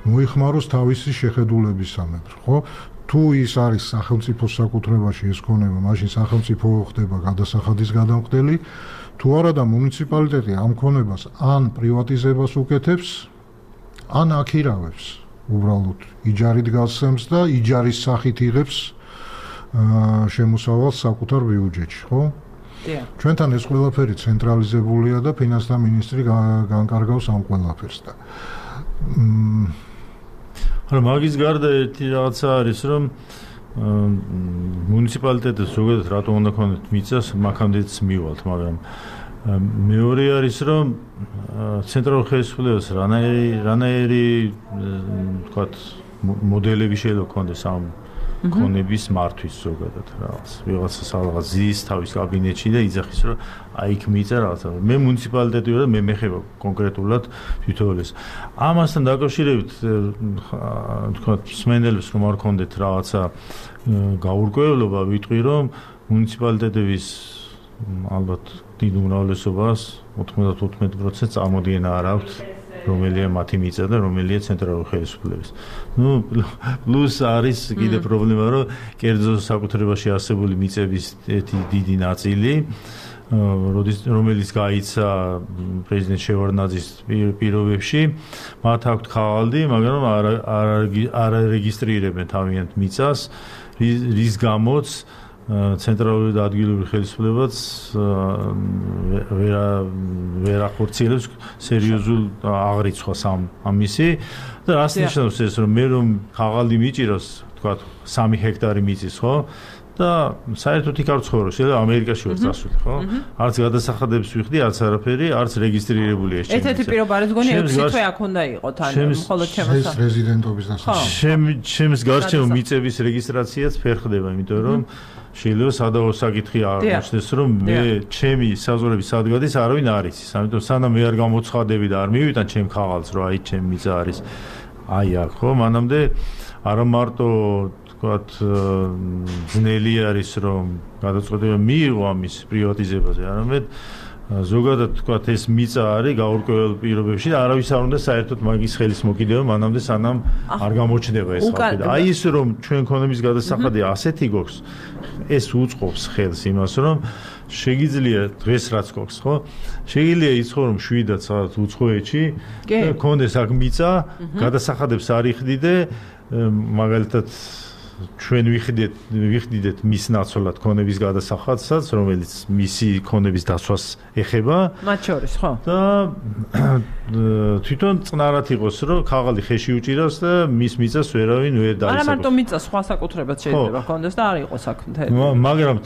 მოიხმაროს თავისი შეხედულებისამებრ, ხო? თუ ის არის სახელმწიფოს საკუთრებაში ეს ქონება, მაშინ სახელმწიფო ხდება გადასახადის გადამხდელი, თუ არა და მუნიციპალიტეტი ამ ქონებას ან პრივატიზებას უკეთებს, ან აქირავებს, უბრალოდ იჯარით გასცემს და იჯარის სახით იღებს შემოსავალს საკუთარ ბიუჯეტში, ხო? ჩვენთან ეს ყველაფერი ცენტრალიზებულია და ფინანსთა მინისტრი განკარგავს ამ ყველაფერს და მაგრამ მაგის გარდა ერთი რაღაცა არის რომ მუნიციპალიტეტებს ზოგადად რატომ უნდა ქონდეთ მიწას მაქამდეც მივალთ მაგრამ მეორე არის რომ ცენტრალურ ხელისუფლებას რანაირი თქვათ მოდელები შეიძლება ქონდეს ამ ქონების მართვის ზოგადად რაღაც ვიღაცა რაღაც ზის თავის კაბინეტში და იძახის რომ აი იქ მიწა რაღაცა მე მუნიციპალიტეტი ვარ და მე მეხება კონკრეტულად თვითონ ეს ამასთან დაკავშირებით თქვა სმენელებს რომ არ ქონდეთ რაღაცა გაურკვევლობა ვიტყვი რომ მუნიციპალიტეტების ალბათ დიდ უმრავლესობას 95% წარმოდგენა არ აქვს რომელია მათი მიწა და რომელია ცენტრალური ხელისუფლების. ნუ პლუს არის კიდე პრობლემა, რომ კერძო საკუთრებაში არსებული მიწების ერთი დიდი ნაწილი რომელიც გაიცა პრეზიდენტ შევარდნაძის პირობებში, მათ აქვთ ხალხი, მაგრამ არ არეგისტრირებენ თავიანთ მიწას, რის გამოც ცენტრალური და ადგილობრივი ხელისუფლებაც ვერ ახორციელებს სერიოზულ აღრიცხვას ამისი და რას ნიშნავს ეს, რომ მე რომ ხალხი მიჭიროს, თქვა 3 ჰექტარი მიწის, ხო? და საერთოდ იქ არ ცხოვრობ, შეიძლება ამერიკაში ვარ წასული, ხო? არც გადასახადებს ვიხდი, არც არაფერი, არც რეგისტრირებული ეს ჩემი. ერთ-ერთი პირობა არის გონი 6 თვე აქ უნდა იყოს თან, მხოლოდ ეს რეზიდენტობის დასახელება. ჩემს გარშემო მიწების რეგისტრაციაც ვერ ხდება, იმიტომ რომ შეიძლება სადავო საკითხი აღმოჩნდეს, რომ მე ჩემი საზღვრების სადგადის არავინ არ იცის. ამიტომ სანამ მე არ გამოცხადები და არ მივიტან ჩემ ხალხს, რომ აი ჩემი მიწა არის აი აქ, ხო? მანამდე არა მარტო ვთქვათ ძნელი არის რომ გადაწყვეტილება მიიღო ამის პრივატიზებაზე, არამედ ზოგადად ვთქვათ ეს მიწა არის გაურკვეველ პირობებში და არავის არ უნდა საერთოდ მაგის ხელის მოკიდება მანამდე სანამ არ გამოჩნდება ეს ხალხი და აი ის რომ ჩვენ ქონების გადასახადი ასეთი გვაქვს ეს უწყობს ხელს იმას რომ შეგიძლია დღეს რაც გვაქვს ხო შეგიძლია იცხოვრო მშვიდად სადაც უცხოეთში და ქონდეს აქ მიწა გადასახადებს არ იხდიდე მაგალითად ჩვენ ვიხდიდეთ მის ნაცვლად ქონების გადასახადსაც, რომელიც მისი ქონების დაცვას ეხება. მათ შორის, ხო? და თვითონ წნარად იყოს, რომ ხაღალი ხეში უჭირავს და მის მიწას ვერავინ ვერ დაისახოს. არა მარტო მიწა, სხვა საკუთრებაც შეიძლება ქონდეს და არ იყოს აქ მთელი. მაგრამ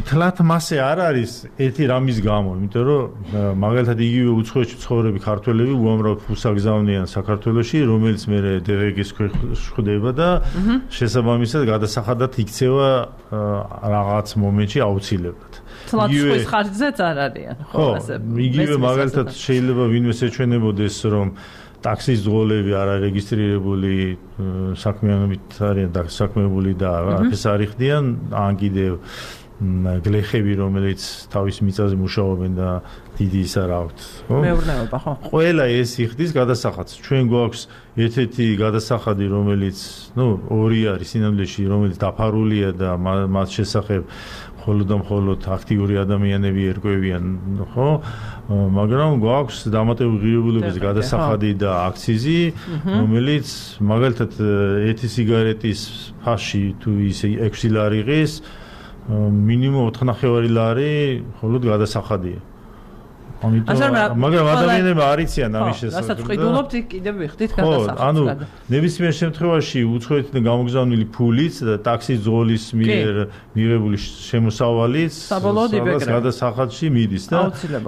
თლათ მასე არ არის ერთი რამის გამო, იმიტომ რომ მაგალითად იგივე უცხოეთში ცხოვრები ქართველები უამრავ ფულს აგზავნიან საქართველოში, რომელიც მე დღეგის ქვეშ ხვდება და შესაბამისად გადასახადად იქცევა რაღაც მომენტში აუცილებლად. იგივე ხარჯზეც არ არიან, ხო, იგივე მაგალითად შეიძლება ვინმეს ეჩვენებოდეს, რომ ტაქსის ძღოლები არ არეგისტრირებული საქმიანობით არიან დასაქმებული და არაფერს არ იხდიან, ან კიდევ გლეხები, რომელიც თავის მიწაზე მუშაობენ და დიდი ის არ აქვთ, ხო? მეურნეობა, ხო? ყველა ეს იხდის გადასახადს. ჩვენ გვაქვს ერთ-ერთი გადასახადი, რომელიც, ორი არის სინამდვილეში, რომელიც დაფარულია და მათ შესახებ მხოლოდ აქტიური ადამიანები ერკვევიან, ხო? მაგრამ გვაქვს დამატებული ღირებულებების გადასახადი და აქციზი, რომელიც მაგალითად ერთი სიგარეტის ფაში თუ ის 6 ლარი ღირს მინიმუმ 4.5 ლარი მხოლოდ გადასახადია. მაგრამ ადამიანები არ იციან ამის შესახებ. რასაც ყიდულობთ, კიდევ ვიხდით გადასახადს. ანუ ნებისმიერ შემთხვევაში უცხოეთიდან გამოგზავნილი ფულიც და ტაქსის ძღოლის მიერ მიღებული შემოსავალიც საბოლოოდ იბეკრება. გადასახადში მიდის და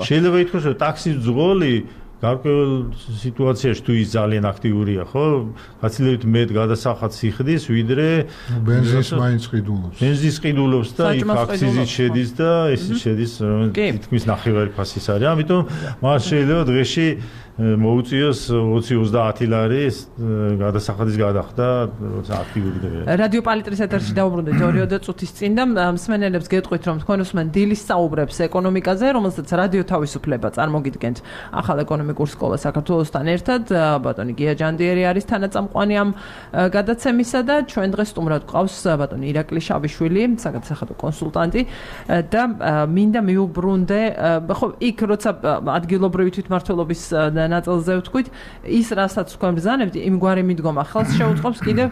შეიძლება ითქვას, რომ ტაქსის ძღოლი გარკვეულ სიტუაციაში თუ ის ძალიან აქტიურია, ხო? გაცილებით მეტ გადასახადს იხდის, ვიდრე ბენზინს მაინც ყიდულობს. ბენზინს ყიდულობს და იქ აქციზით შედის და ესიც შედის, რომელიც თითქმის ნახევარი ფასის არის. ამიტომ მას შეიძლება დღეში მოუწიოს 20-30 ლარი გადასახადის გადახდა, როცა აქტიური დღეა. რადიო პალიტრის ეთერში დაუბრუნდით 2 წუთის წინ და მსმენელებს გეტყვით, რომ თქვენ უსმენ დილის საუბრებს ეკონომიკაზე, რომელსაც რადიო თავისუფლება წარმოგიდგენთ ახალ ეკონომიკურ სკოლას საქართველოსთან ერთად. ბატონი გია ჯანდიერი არის თანაწამყვანი ამ გადაცემისა და ჩვენ დღეს სტუმრად გვყავს ბატონი ირაკლი შავიშვილი, საგადასახადო კონსულტანტი და მინდა მიუბრუნდე, ხო, იქ როცა ადგილობრივი თვითმმართველობის ნაწილზე ვთქვით, ის რასაც თქვენ ბრძანებთ, იმგვარი მიდგომა ხელს შეუწყობს კიდევ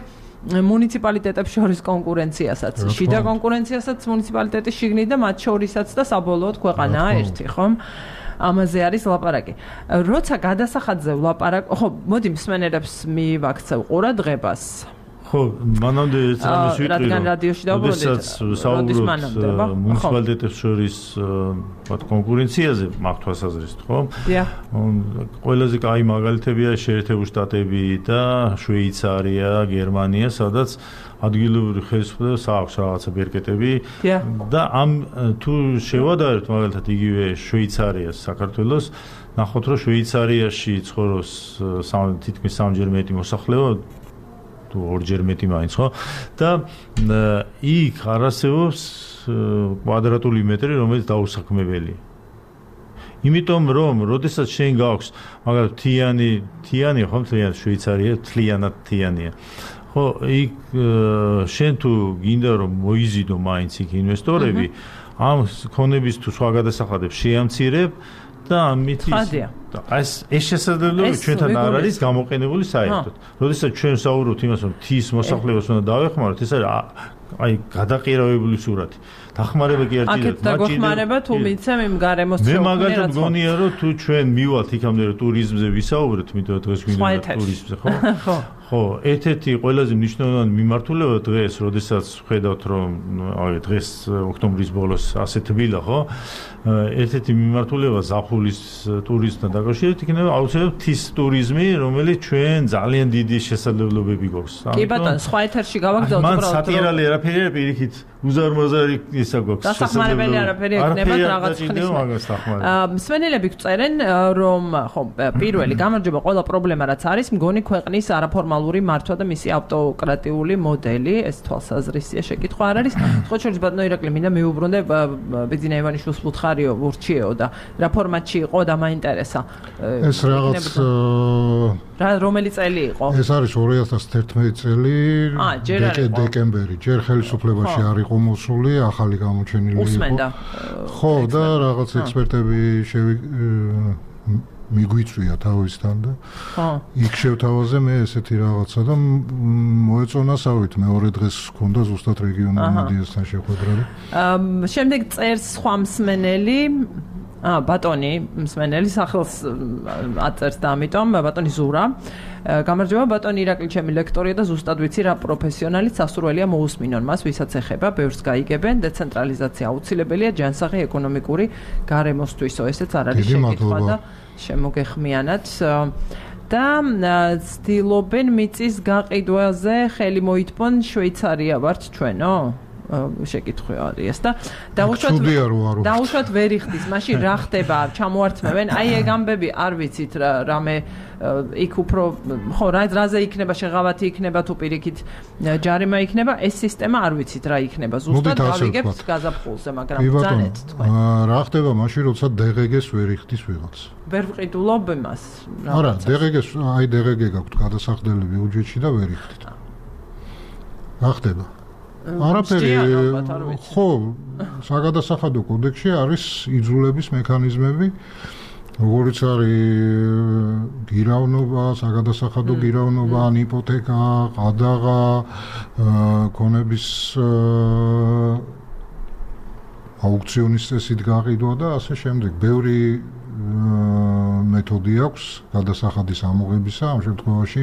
მუნიციპალიტეტებს შორის კონკურენციასაც, შიდა კონკურენციასაც მუნიციპალიტეტის შიგნით და მათ შორისაც და საბოლოოდ ქვეყანაა ერთი, ხომ? ამაზე არის ლაპარაკი. როცა გადასახადზე ვლაპარაკ, ხო, მოდი მსმენელებს მივაქცევ ყურადღებას. ხო, მანამდე ეს რამის ვიტყვი, რადგან რადიოში დავუბრუნდით, საუბრობთ მუნიციპალიტეტებს შორის კონკურენციაზე მაქვს თვალსაზრისით, ხო? დიახ. ყველაზე კაი მაგალითებია შეერთებული შტატები და შვეიცარია, გერმანია, სადაც ადგილობრივი ხელისუფლებას აქვს რაღაცა ბერკეტები და ამ თუ შევადარებთ მაგალითად იგივე შვეიცარიას, საქართველოს, ნახოთ რომ შვეიცარიაში ცხოვრობს თითქმის 3-ჯერ მეტი მოსახლეობა თუ 2-ჯერ მეტი მაინც, ხო? და იქ არ არსებობს კვადრატული მეტრი, რომელიც დაუსაქმებელია. იმიტომ რომ, როდესაც შენ გაქვს, მაგალითად, თიანი, ხო, მთლიანად შვეიცარია, მთლიანად თიანია. ხო, იქ შენ თუ გინდა რომ მოიზიდო მაინც იქ ინვესტორები, ამ ქონების თუ სხვა გადასახადებს შეამცირებ და ამით ეს შესაძლებლობა ჩვენთან არ არის გამოყენებული საერთოდ. როდესაც ჩვენ საუბრობთ იმას, რომ თის მოსახლეობას უნდა დავეხმაროთ, ეს არის გადაყირავებული სურათი. დახმარება კი ერთია. აქეთ დაგხმარება თუ მიცემ იმ გარემოს მე მაგალითად მგონია, რომ თუ ჩვენ მივალთ იქამდე რომ ტურიზმზე ვისაუბრეთ, იმიტომ რომ დღეს გვინდა ტურიზმზე, ხო? ხო, ერთ-ერთი ყველაზე მნიშვნელოვანი მიმართულება დღეს, როდესაც ხედავთ, რომ დღეს ოქტომბრის ბოლოს ასე თბილა, ხო? ერთ-ერთი მიმართულება ზაფხულის ტურიზმთან დაკავშირებით იქნება აუცილებლად თის ტურიზმი, რომელიც ჩვენ ძალიან დიდი შესაძლებლობები გვაქვს. კი ბატონო, სხვა ეთერში გავაგზავნოთ უბრალოდ. მან სატირალი არაფერი პირიქით უზარმაზარი ისა გვაქვს. დასახმარებელი არაფერი ექნება რაღაც ხნის. მსმენელები გვწერენ, რომ ხო, პირველი გამარჯობა ყველა პრობლემა რაც არის, მგონი ქვეყნის არაფორმალური მართვა და მისი ავტოკრატიული მოდელი, ეს თვალსაზრისია შეკითხვა არ არის. სხვა შორის ბატონო ირაკლი, მინდა მიუბრუნდე ბეძინა ივანიშვილს ვუთხარიო, ვურჩიეო და რა ფორმატში იყო და მაინტერესა. ეს რაღაც რომელი წელი იყო? ეს არის 2011 წელი, დეკემბერი. ჯერ ხელისუფლებაში არ იყო მოსული, ახალი გამოჩენილი იყო. ხო, და რაღაც ექსპერტები მიგვიწვია თავისთან და იქ შევთავაზე მე ესეთი რაღაცა და მოეწონასავით მეორე დღეს ჰქონდა ზუსტად რეგიონულ მედიასთან შეხვედრა. შემდეგ წერს სხვა მსმენელი ბატონი მსმენელი სახელს აწერს და ამიტომ ბატონი ზურა გამარჯობა ბატონი ირაკლი ჩემი ლექტორია და ზუსტად ვიცი რა პროფესიონალიც სასურველია მოусმინონ მას ვისაც ეხება ბევრს გაიგებენ დეცენტრალიზაცია აუცილებელია ჯანსაღი ეკონომიკური გარემოსთვისო ესეც არ არის შეკითხვა და შემოგეხმიანათ და ცდილობენ მიწის გაყიდვაზე ხელი მოითმონ შვეიცარია ვართ ჩვენო შეკითხვა არის და დაუშვათ ვერ იხდის მაშინ რა ხდება ჩამოართმევენ აი ეგ ამბები არ ვიცით რამე იქ უფრო ხო რაზე იქნება შეღავათი იქნება თუ პირიქით ჯარიმა იქნება ეს სისტემა არ ვიცით რა იქნება ზუსტად გავიგებთ გაზაფხულზე მაგრამ ბრძანეთ თქვენ რა ხდება მაშინ როცა DGG-ს ვერ იხდის ვიღაც ვერ ვყიდულობ იმას არა DGG-ს აი DGG გაქვთ გადასახდელი ბიუჯეტში და ვერ იხდით რა ხდება არაფერი ხო საგადასახადო კოდექსში არის იძულების მექანიზმები როგორც არის გირავნობა საგადასახადო გირავნობა ან იპოთეკა ყადაღა ქონების აუქციონის წესით გაყიდვა და ასე შემდეგ ბევრი მეთოდი აქვს გადასახადის ამოღებისა ამ შემთხვევაში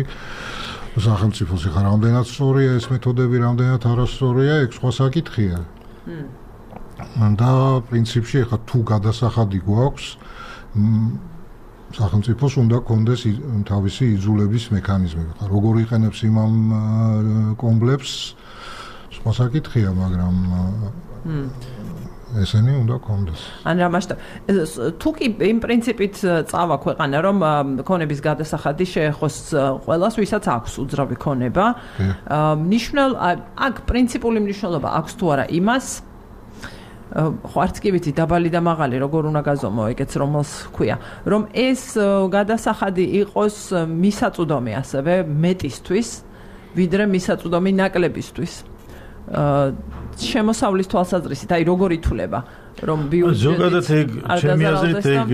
სახელმწიფოს ხარ რამდენად სწორია ეს მეთოდები რამდენად არასწორია ეგ სხვა საკითხია და პრინციპში ხა თუ გადასახადი გვაქვს სახელმწიფოს უნდა კონდეს თავისი იძულების მექანიზმები ხა როგორ იყენებს იმამ კომპლექს სხვა საკითხია მაგრამ ესენი უნდა კონდეს. ან რა მასშტაბ თუ კი იმ პრინციპით წავა ქვეყანა რომ ქონების გადასახადი შეეხოს ყველას ვისაც აქვს უძრავი ქონება ნიშნულ აქ პრინციპული მნიშვნელობა აქვს თუ არა იმას ხო არც კი ვიცი დაბალი და მაღალი როგორ უნდა გაზომო ეგეც რომელს ქვია რომ ეს გადასახადი იყოს მისაწვდომი ასევე მეტისთვის ვიდრე მისაწვდომი ნაკლებისთვის შემოსავლის თვალსაზრისით, აი როგორ ითვლება, რომ ბიუჯეტი ზოგადად ეგ ჩემი აზრით ეგ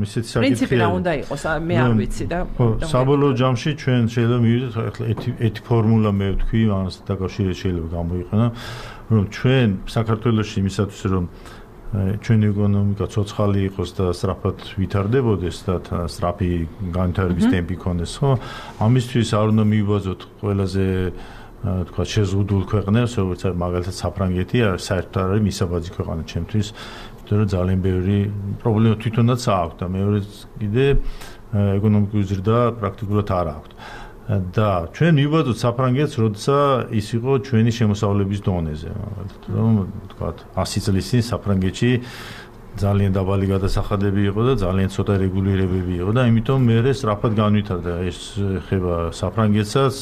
ისეთი საკითხია. პრინციპი რა უნდა იყოს, მე არ ვიცი და საბოლოო ჯამში ჩვენ შეიძლება მივიდეთ ახლა ერთი ფორმულა მე ვთქვი, ამას დაკავშირებით შეიძლება გამოიყენო, რომ ჩვენ საქართველოში იმისათვის რომ ჩვენი ეკონომიკა ცოცხალი იყოს და სწრაფად ვითარდებოდეს და სწრაფი განვითარების ტემპი ქონდეს, ხო? ამისთვის არ უნდა მივიბაზოთ ყველაზე თქვა შეზღუდულ ქვეყნებს, როგორც არის მაგალითად საფრანგეთი, საერთოდ არის მისაბაძი ქვეყანა ჩემთვის, იმიტომ რომ ძალიან ბევრი პრობლემა თვითონაც აქვს და მეორე კიდე ეკონომიკური ზრდა პრაქტიკულად არ აქვს. და ჩვენ მივიბადოთ საფრანგეთს, როცა ის იყო ჩვენი შემოსავლების დონეზე, მაგალითად, რომ თქვა 100 წლის წინ საფრანგეთში ძალიან დაბალი გადასახადები იყო და ძალიან ცოტა რეგულირებები იყო და იმიტომ მე სწრაფად განვითარდა ეს ხება საფრანგეთსაც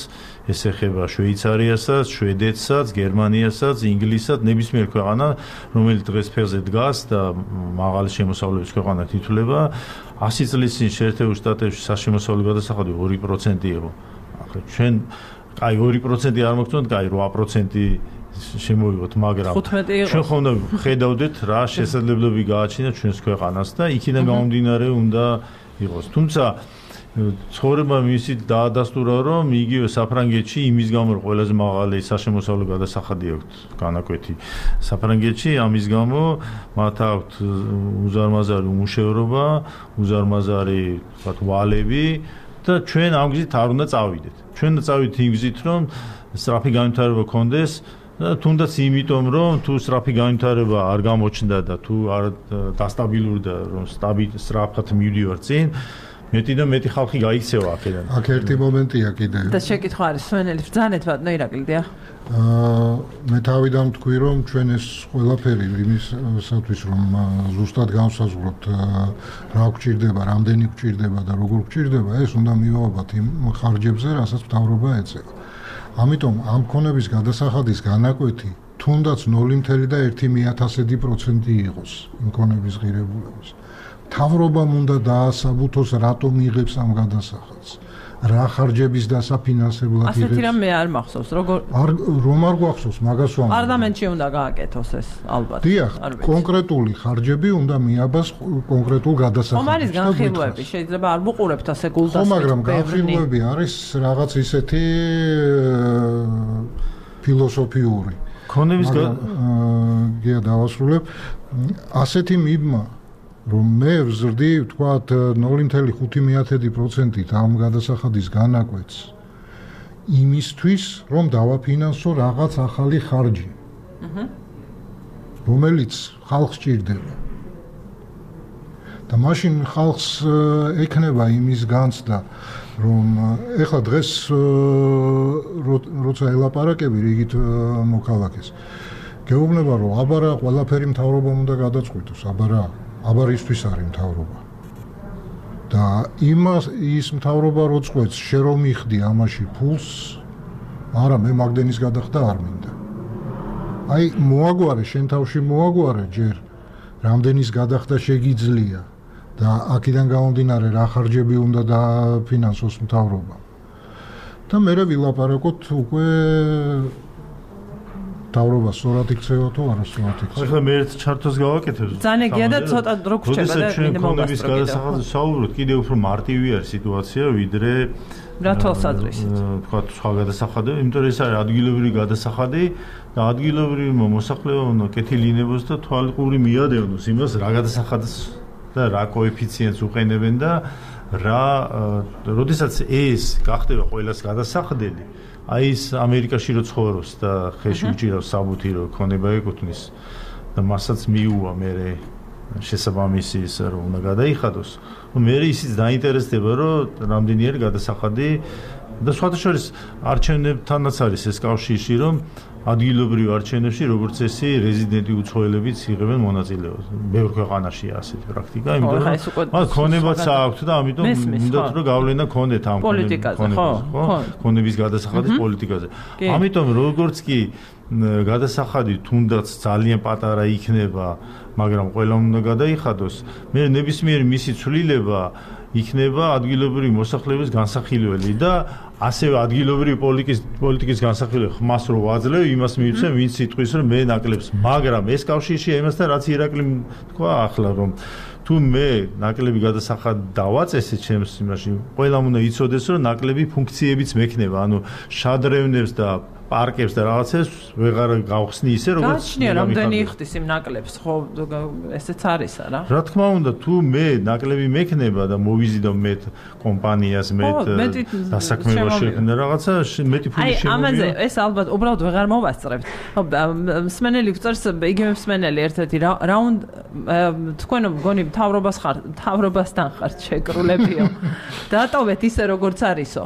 ეს ეხება შვეიცარიასაც, შვედეთსაც, გერმანიასაც, ინგლისსაც, ნებისმიერ ქვეყანა, რომელიც დღეს ფეხზე დგას და მაღალი შემოსავლების ქვეყანად ითვლება, 100 წლის წინ შეერთებულ შტატებში საშემოსავლო გადასახადი 2% იყო. ახლა ჩვენ, კაი 2% არ მოგწონთ, კაი 8% შემოვიღოთ, მაგრამ ჩვენ ხომ ხედავდეთ რა შესაძლებლობები გააჩნია ჩვენს ქვეყანას და იქიდან გამომდინარე უნდა იყოს. თუმცა ცხოვრება მისით დაადასტურა, რომ იგივე საფრანგეთში იმის გამო ყველაზე მაღალი საშემოსავლო გადასახადი აქვს განაკვეთი საფრანგეთში, ამის გამო მათ აქვთ უზარმაზარი უმუშევრობა, უზარმაზარი ვთქვათ ვალები და ჩვენ ამ გზით არ უნდა წავიდეთ. ჩვენ უნდა წავიდეთ იმ გზით, რომ სწრაფი განვითარება გქონდეს და თუნდაც იმიტომ, რომ თუ სწრაფი განვითარება არ გამოჩნდა და თუ არ დასტაბილურდა, რომ სწრაფად მივდივარ წინ, მეტი და მეტი ხალხი გაიქცევა აქედან. აქ ერთი მომენტია კიდე. და შეკითხვა არის სვენელი ბრძანეთ ბატონო ირაკლი დიახ. მე თავიდან თქვი, რომ ჩვენ ეს ყველაფერი იმისათვის, რომ ზუსტად განსაზღვროთ რა გვჭირდება, რამდენი გვჭირდება და როგორ გვჭირდება, ეს უნდა მივავებათ იმ ხარჯებზე, რასაც მთავრობა ეწევა. ამიტომ ამ ქონების გადასახადის განაკვეთი თუნდაც 0.1% იყოს იმ ქონების ღირებულების. მთავრობამ უნდა დაასაბუთოს, რატომ იღებს ამ გადასახადს. რა ხარჯების დასაფინანსებლად იღებს. ასეთი რამე არ მახსოვს, რომ არ გვახსოვს, მაგას ვამბობ. პარლამენტში უნდა გააკეთოს ეს, ალბათ. დიახ, კონკრეტული ხარჯები უნდა მიაბას კონკრეტულ გადასახადს. ხომ არის განხილვები, შეიძლება არ მოყურებთ ასე გულდასმით. ხო, მაგრამ განხილვები არის რაღაც ისეთი ფილოსოფიური. ქონების გია დავასრულებ. ასეთი მიბმა რომ მე ვზრდი, ვთქვათ 0.5%-ით ამ გადასახადის განაკვეთს იმისთვის, რომ დავაფინანსო რაღაც ახალი ხარჯი, რომელიც ხალხს ჭირდება. და მაშინ ხალხს ექნება იმის განცდა, რომ ეხლა დღეს როცა ელაპარაკები რიგით მოქალაქეს, გეუბნება, რომ აბარა ყველაფერი მთავრობამ უნდა გადაწყვიტოს, აბარ ისთვის არის მთავრობა. და ის მთავრობა რო წყვეტს, შე რომ მიხდი ამაში ფულს, არა მე მაგდენის გადახდა არ მინდა. აი მოაგვარე, შენ თავში მოაგვარე ჯერ, რამდენის გადახდა შეგიძლია და აქედან გამომდინარე რა ხარჯები უნდა დაფინანსოს მთავრობა. და მე ვილაპარაკოთ უკვე მთავრობა სწორად იქცევა თუ არა სწორად იქცევა. ახლა მე ერთ ჩარტოს გავაკეთებ. ძანეგია და ცოტა დრო გრჩება და მინდა მოგასწრო. გადასახადზე საუბრობთ, კიდევ უფრო მარტივი არის სიტუაცია, ვიდრე რა თვალსაზრისით. თქვათ სხვა გადასახადები, იმიტომ რომ ეს არის ადგილობრივი გადასახადი და ადგილობრივი მოსახლეობა უნდა კეთილინებოს და თვალყური მიადევნოს იმას, რა გადასახადს და რა კოეფიციენტს უყენებენ და როდესაც ეს გახდება ყველას გადასახდელი, აი ეს ამერიკაში რო ცხოვრობს და ხელში უჭირავს საბუთი რო ქონება ეკუთვნის და მასაც მიუვა მე შესაბამისი ის რომ უნდა გადაიხადოს. მე ისიც დაინტერესდება რომ რამდენი არის გადასახადი და სხვათა შორის არჩევნებთანაც არის ეს კავშირი რომ ადგილობრივ არჩევნებში როგორც ესე რეზიდენტი უცხოელებიც იღებენ მონაწილეობას. ბევრ ქვეყანაშია ასეთი პრაქტიკა, იმიტომ რომ მათ ქონებაც აქვთ და ამიტომ უნდათ რომ გავლენა ქონდეთ ამ ქონების გადასახადის პოლიტიკაზე. ამიტომ როგორც კი გადასახადი თუნდაც ძალიან პატარა იქნება, მაგრამ ყველამ უნდა გადაიხადოს, მე ნებისმიერი მისი ცვლილება იქნება ადგილობრივი მოსახლეობის განსახილველი და ასევე ადგილობრივი პოლიტიკის განსახილველი ხმას რო ვაძლევ, იმას მივცემ, ვინც სიტყვის რომ მე ნაკლებს, მაგრამ ეს კავშირშია იმასთან, რაც ირაკლი თქვა ახლა, რომ თუ მე ნაკლები გადასახად დავაწესე ჩემს იმაში, ყველამ უნდა იცოდეს, რომ ნაკლები ფუნქციებიც მექნება, ანუ შადრევნებს და პარკებს და რაღაცებს ვეღარ გავხსნი ისე როგორც გაჩნია რამდენი იხდის იმ ნაკლებს, ხო ესეც არის არა? რა თქმა უნდა, თუ მე ნაკლები მექნება და მოვიზიდო მე კომპანიას მე დასაქმებაში და რაღაცა მეტი ფული შემოვიდა. აი ამაზე ეს ალბათ უბრალოდ ვეღარ მოვასწრებთ. ხო მსმენელი გვწერს, იგივე მსმენელი ერთ-ერთი რაუნდ თქვენ მგონი მთავრობასთან ხართ შეკრულებიო. დატოვეთ ისე როგორც არისო.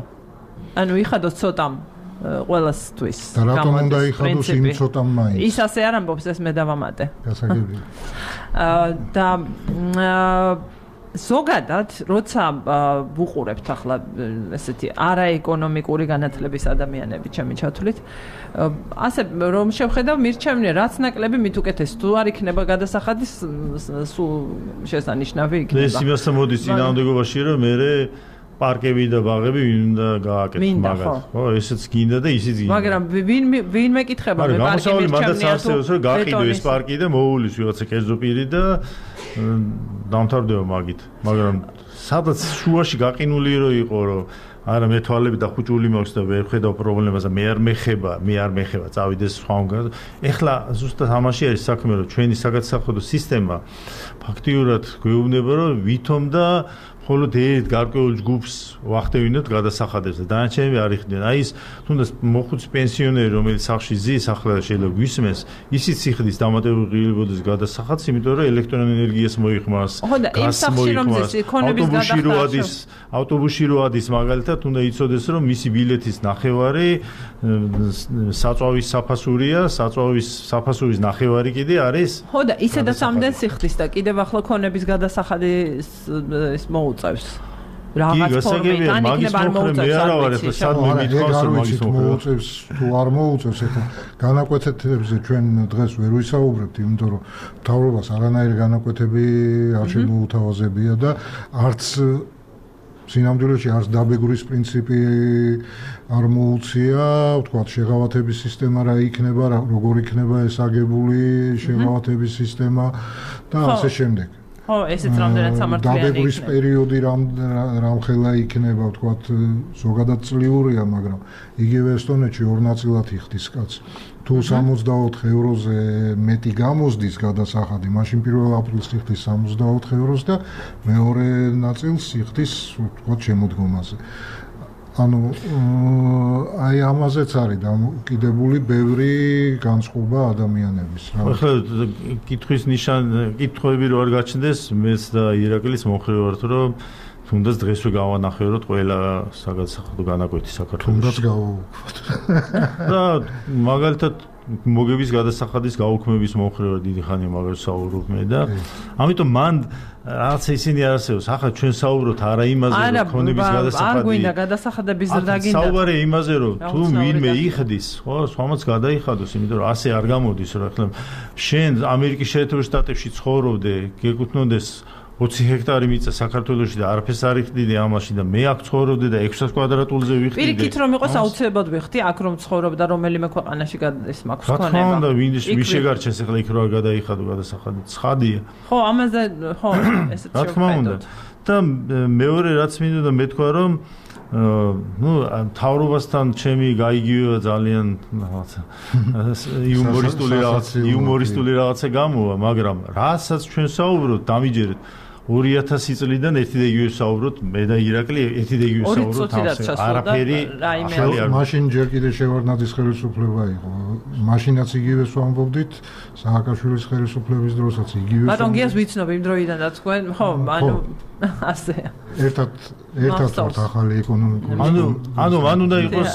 ანუ იხადოს ცოტამ ყველასთვის. და რატომ უნდა იხადოს იმ ცოტამ მაინც? ის ასე არ ამბობს, ეს მე დავამატე. გასაგებია. და ზოგადად, როცა ვუყურებთ ახლა ესეთი არაეკონომიკური განათლების ადამიანები ჩემი ჩათვლით, ასე რომ შევხედავ მირჩევნია რაც ნაკლები მით უკეთეს თუ არ იქნება გადასახადის სულ შესანიშნავი იქნება. ეს იმასთან მოდის წინააღმდეგობაში რომ მე პარკები და ბაღები ვინ უნდა გააკეთოს მაგათ. ხო, ესეც გინდა და ისიც გინდა. მაგრამ ვინ მეკითხება მე პარკი მირჩევნია თუ რომ გაყიდო ეს პარკი და მოუვლის ვიღაცა კერძო პირი და დამთავრდება მაგით. მაგრამ სადაც შუაში გაყინული რო იყო რომ არა მე თვალები და ხუჭული მაქვს და ვერ ხედავ პრობლემას და მე არ მეხება წავიდეს სხვაგან. ეხლა ზუსტად ამაში არის საქმე რომ ჩვენი საგადასახადო სისტემა ფაქტიურად გვეუბნება რომ ვითომ და მხოლოდ ერთ გარკვეულ ჯგუფს ვახდევინოთ გადასახადებს და დანარჩენები არ იხდიან. აი ეს თუნდაც მოხუცი პენსიონერი რომელიც სახლში ზის ახლა შეიძლება გვისმენს ისიც სიხდის დამატებულიებოდეს გადასახადს იმიტომ რომ ელექტროენერგიას მოიხმარს გაზს მოიხმარს ავტობუსში რო ადის მაგალითად უნდა იცოდეს რომ მისი ბილეთის ნახევარი საწვავის საფასურია საწვავის საფასურის ნახევარი კიდე არის ხო და ისედაც ამდენ სიხდის და კიდევ ახლა ქონების გადასახადი ის მოუწევს რაღაც ფორმით ან იქნება არ მოუწევს მოუწევს თუ არ მოუწევს ეხლა განაკვეთებზე ჩვენ დღეს ვერ ვისაუბრებთ იმიტომ რომ მთავრობას არანაირი განაკვეთები არ შემოუთავაზებია და არც სინამდვილეში არც დაბეგურის პრინციპი არ მოუწია, ვთქვათ, შეღავათების სისტემა რა იქნება, როგორ იქნება ეს აგებული შეღავათების სისტემა და ასე შემდეგ. ხო, ესეც რამდენად სამართლიანი იქნება. დაბეგურის პერიოდი რამხელა იქნება, ვთქვათ, ზოგადად წლიურია, მაგრამ იგივე ესტონეთში ორ ნაწილად იხდის კაცი. თუ 64 ევროზე მეტი გამოსდის გადასახადი, მაშინ 1 აპრილს იხდის 64 ევროს და მეორე ნაწილს იხდის, ვთქვათ, შემოდგომაზე. ანუ აი ამაზეც არის დამოკიდებული ბევრი განწყობა ადამიანების. ახლა კითხვები რო არ გაჩნდეს, მეც და ირაკლის მომხრე ვართ, რომ თუნდაც დღესვე გავანახევროთ ყველა საგადასახადო განაკვეთი საქართველოში. თუნდაც გავაუქმოთ. და მაგალითად მოგების გადასახადის გაუქმების მომხრე დიდი ხანია მაგას საუბრობ მე და ამიტომ მან რაც ისინი არ არსებობს. ახლა ჩვენ საუბრობთ არა იმაზე რომ ქონების გადასახადი. არ გვინდა გადასახადების ზრდა გინდა. საუბარია იმაზე რომ თუ ვინმე იხდის, ხო, სხვამაც გადაიხადოს, იმიტომ რომ ასე არ გამოდის რომ ახლა შენ ამერიკის შეერთებულ შტატებში ცხოვრობდე, გეკუთვნოდეს 20 ჰექტარი მიწა საქართველოში და არაფერს არ იხდიდი ამაში და მე აქ ცხოვრობდი და 600 კვადრატულზე ვიხდიდი. პირიქით რომ იყოს აუცილებლად ვიხდი აქ რომ ცხოვრობ და რომელიმე ქვეყანაში ის მაქვს ქონება. რა თქმა უნდა, ვინ შეგარჩენს ახლა იქ რა გადაიხადო გადასახადი. ცხადია. ხო, ამაზე ხო, ესეც რა თქმა უნდა. და მეორე რაც მინდოდა მეთქვა რომ მთავრობასთან ჩემი გაიგივება ძალიან იუმორისტული რაღაცა გამოვა, მაგრამ რასაც ჩვენ საუბრობთ, დამიჯერეთ 2000 წლიდან ერთი და იგივე საუბრობთ, მე და ირაკლი ერთი და იგივე საუბრობთ, არაფერი მაშინ ჯერ კიდე შევარდნაძის ხელისუფლება იყო. მაშინაც იგივეს ვამბობდით, სააკაშვილის ხელისუფლების დროსაც იგივე. ბატონ გიას ვიცნობ იმ დროიდან და თქვენ, ხო, ანუ ასე. ერთად ვართ ახალი ეკონომიკური. ანუ უნდა იყოს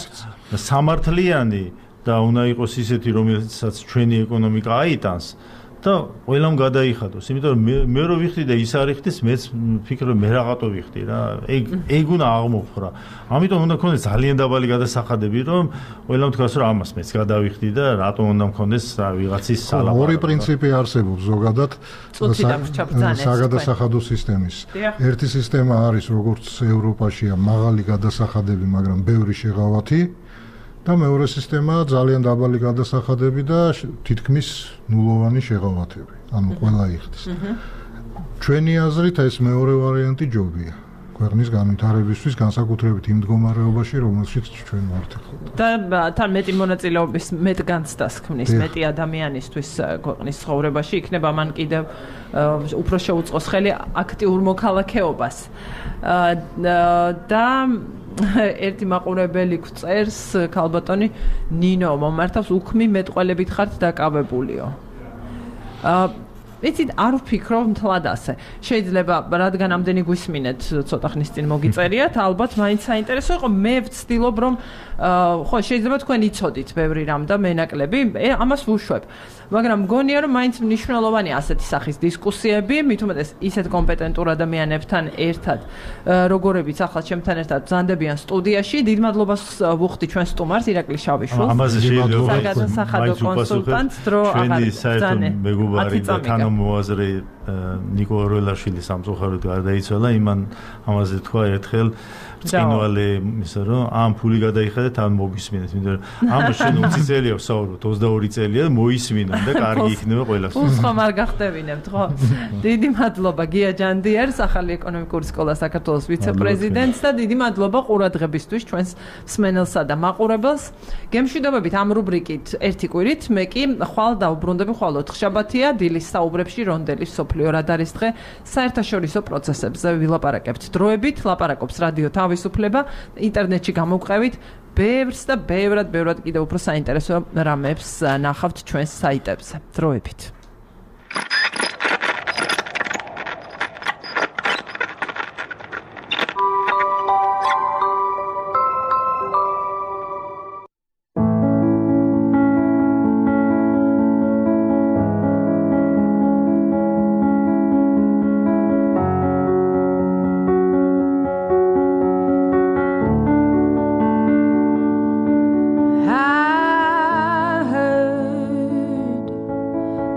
სამართლიანი და უნდა იყოს ისეთი, რომელსაც ჩვენი ეკონომიკა აიტანს. და ყველამ გადაიხადოს, იმიტომ რომ მე რო ვიხდი და ის არ იხდის, მეც ვფიქრობ მე რაღაცო ვიხდი რა. ეგ უნდა აღმოფხრა. ამიტომ უნდა გქონდეს ძალიან დაბალი გადასახადები, რომ ყველამ თქვას რომ ამას მეც გადავიხდი და რატომ უნდა მქონდეს ვიღაცის სალაპარაკო. ორი პრინციპი არსებობს ზოგადად საგადასახადო სისტემის. ერთი სისტემა არის როგორც ევროპაშია მაღალი გადასახადები, მაგრამ ბევრი შეღავათი. და მეორე სისტემაა ძალიან დაბალი გადასახადები და თითქმის ნულოვანი შეღავათები. ანუ ყველა იხდის. ჩვენი აზრით ეს მეორე ვარიანტი ჯობია. ქვეყნის განვითარებისთვის განსაკუთრებით იმ მდგომარეობაში, რომელშიც ჩვენ ვართ ახლა. და თან მეტი მონაწილეობის მეტ განცდას ქმნის მეტი ადამიანისთვის ქვეყნის ცხოვრებაში იქნება მან კიდევ უფრო შეუწყოს ხელი აქტიურ მოქალაქეობას. და ერთი მაყურებელი გვწერს ქალბატონი ნინო მომართავს უქმი მეტყველებით ხართ დაკავებულიო. იცით არ ვფიქრობ მთლად ასე. შეიძლება რადგან ამდენი გვისმინეთ ცოტა ხნის წინ მოგიწერიათ, ალბათ მაინც საინტერესო იყო. მე ვცდილობ რომ ხო შეიძლება თქვენ იცოდით ბევრი რამ და მენაკლები, ამას ვუშვებ. მაგრამ მგონია რომ მაინც მნიშვნელოვანია ასეთი სახის დისკუსიები, მით უმეტეს ისეთ კომპეტენტურ ადამიანებთან ერთად, როგორებიც ახლა ჩემთან ერთად ბრძანდებიან სტუდიაში. დიდ მადლობას ვუხდი ჩვენ სტუმარს ირაკლი შავიშვილს. ამაზე შეიძლება საგადასახადო კონსულტანტს დრო აღარ ჩვენი საერთო მეგობარი და თანამოაზრე ნიკო ორველაშვილი სამწუხაროდ გარდაიცვალა, ამაზე თქვა ერთხელ ბრწყინვალე ისა რომ ამ ფული გადაიხადეთ ან მოგისმინეთ, იმიტომ რომ ამას შენ 20 წელია ვსაუბრობ, 22 წელია მოისმინა და კარგი იქნება ყველასთვის. ხომ არ გახტევინებთ, ხო? დიდი მადლობა გია ჯანდიერს, ახალი ეკონომიკური სკოლა საქართველოს ვიცე-პრეზიდენტს და დიდი მადლობა ყურადღებისთვის ჩვენს მსმენელსა და მაყურებელს. გემშვიდობებით ამ რუბრიკით ერთი კვირით, მე კი ხვალ დავუბრუნდები ხვალ 4 შაბათია დილის საუბრებში რონდელის სოფლიო რადარის დღე საერთაშორისო პროცესებზე ვილაპარაკებთ დროებით, ლაპარაკობს რადიო თავისუფლება, ინტერნეტში გამოვყევით ბევრს და ბევრად კიდევ უფრო საინტერესო რამებს ნახავთ ჩვენს საიტებზე. დროებით.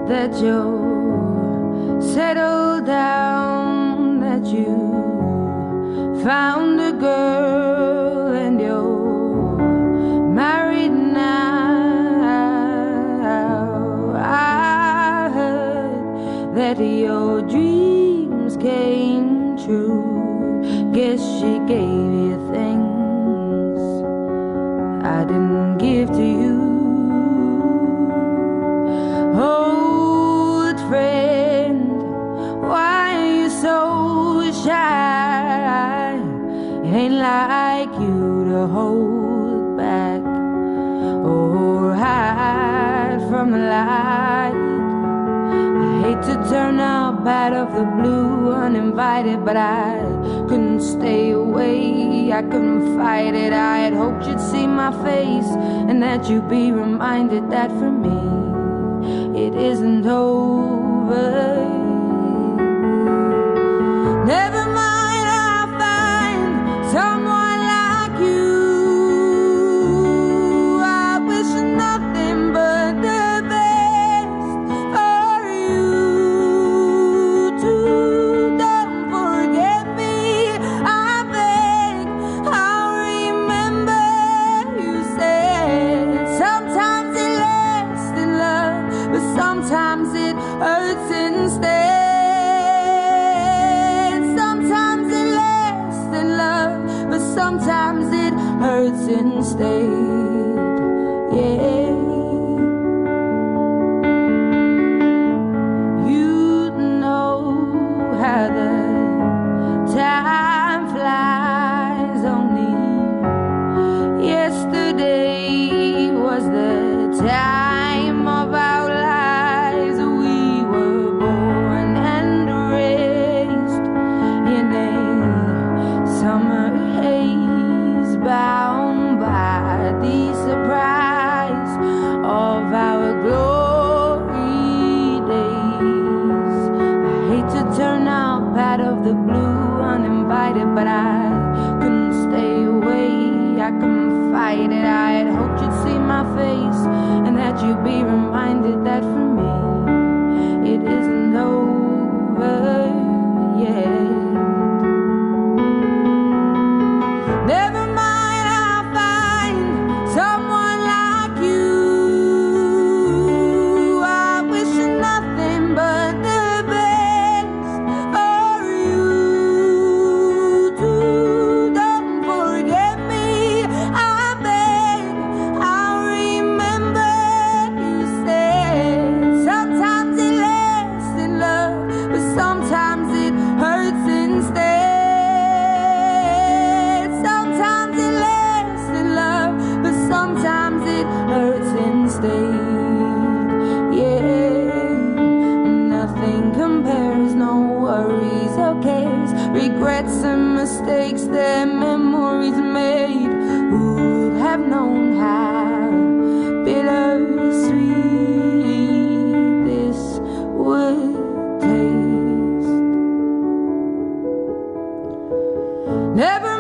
That you settled down, that you found a girl and you're married now. I heard that your dreams came true. Guess she gave you things I didn't give to you. Old friend, why are you so shy? It ain't like you to hold back or hide from the light. I hate to turn up out of the blue uninvited, but I couldn't stay away, I couldn't fight it. I had hoped you'd see my face and that you'd be reminded that for me it isn't over. Never mind, I'll find someone like you. I wish nothing but the best for you too. Don't forget me, I beg. I'll remember you said sometimes it lasts in love, but sometimes it hurts instead. Sometimes it lasts in love, but sometimes it hurts instead. Yeah. You know how the time flies. Only yesterday was the time of our lives. We were born and raised in a summer haze, bound by the surprise of our glory days. I hate to turn up out of the blue uninvited, but I couldn't stay away, I couldn't fight it. I had hoped you'd see my face and that you'd be reminded that for me it isn't over yet. Never mind, I'll find someone like you. I wish nothing but the best for you too. Don't forget me, I beg. I'll remember you said sometimes it lasts in love, but sometimes it hurts instead. Sometimes it lasts in love, but sometimes it hurts instead. Yeah, nothing compares, no worries or cares, regrets and mistakes that memories made. Who'd have known how bittersweet this would taste? Never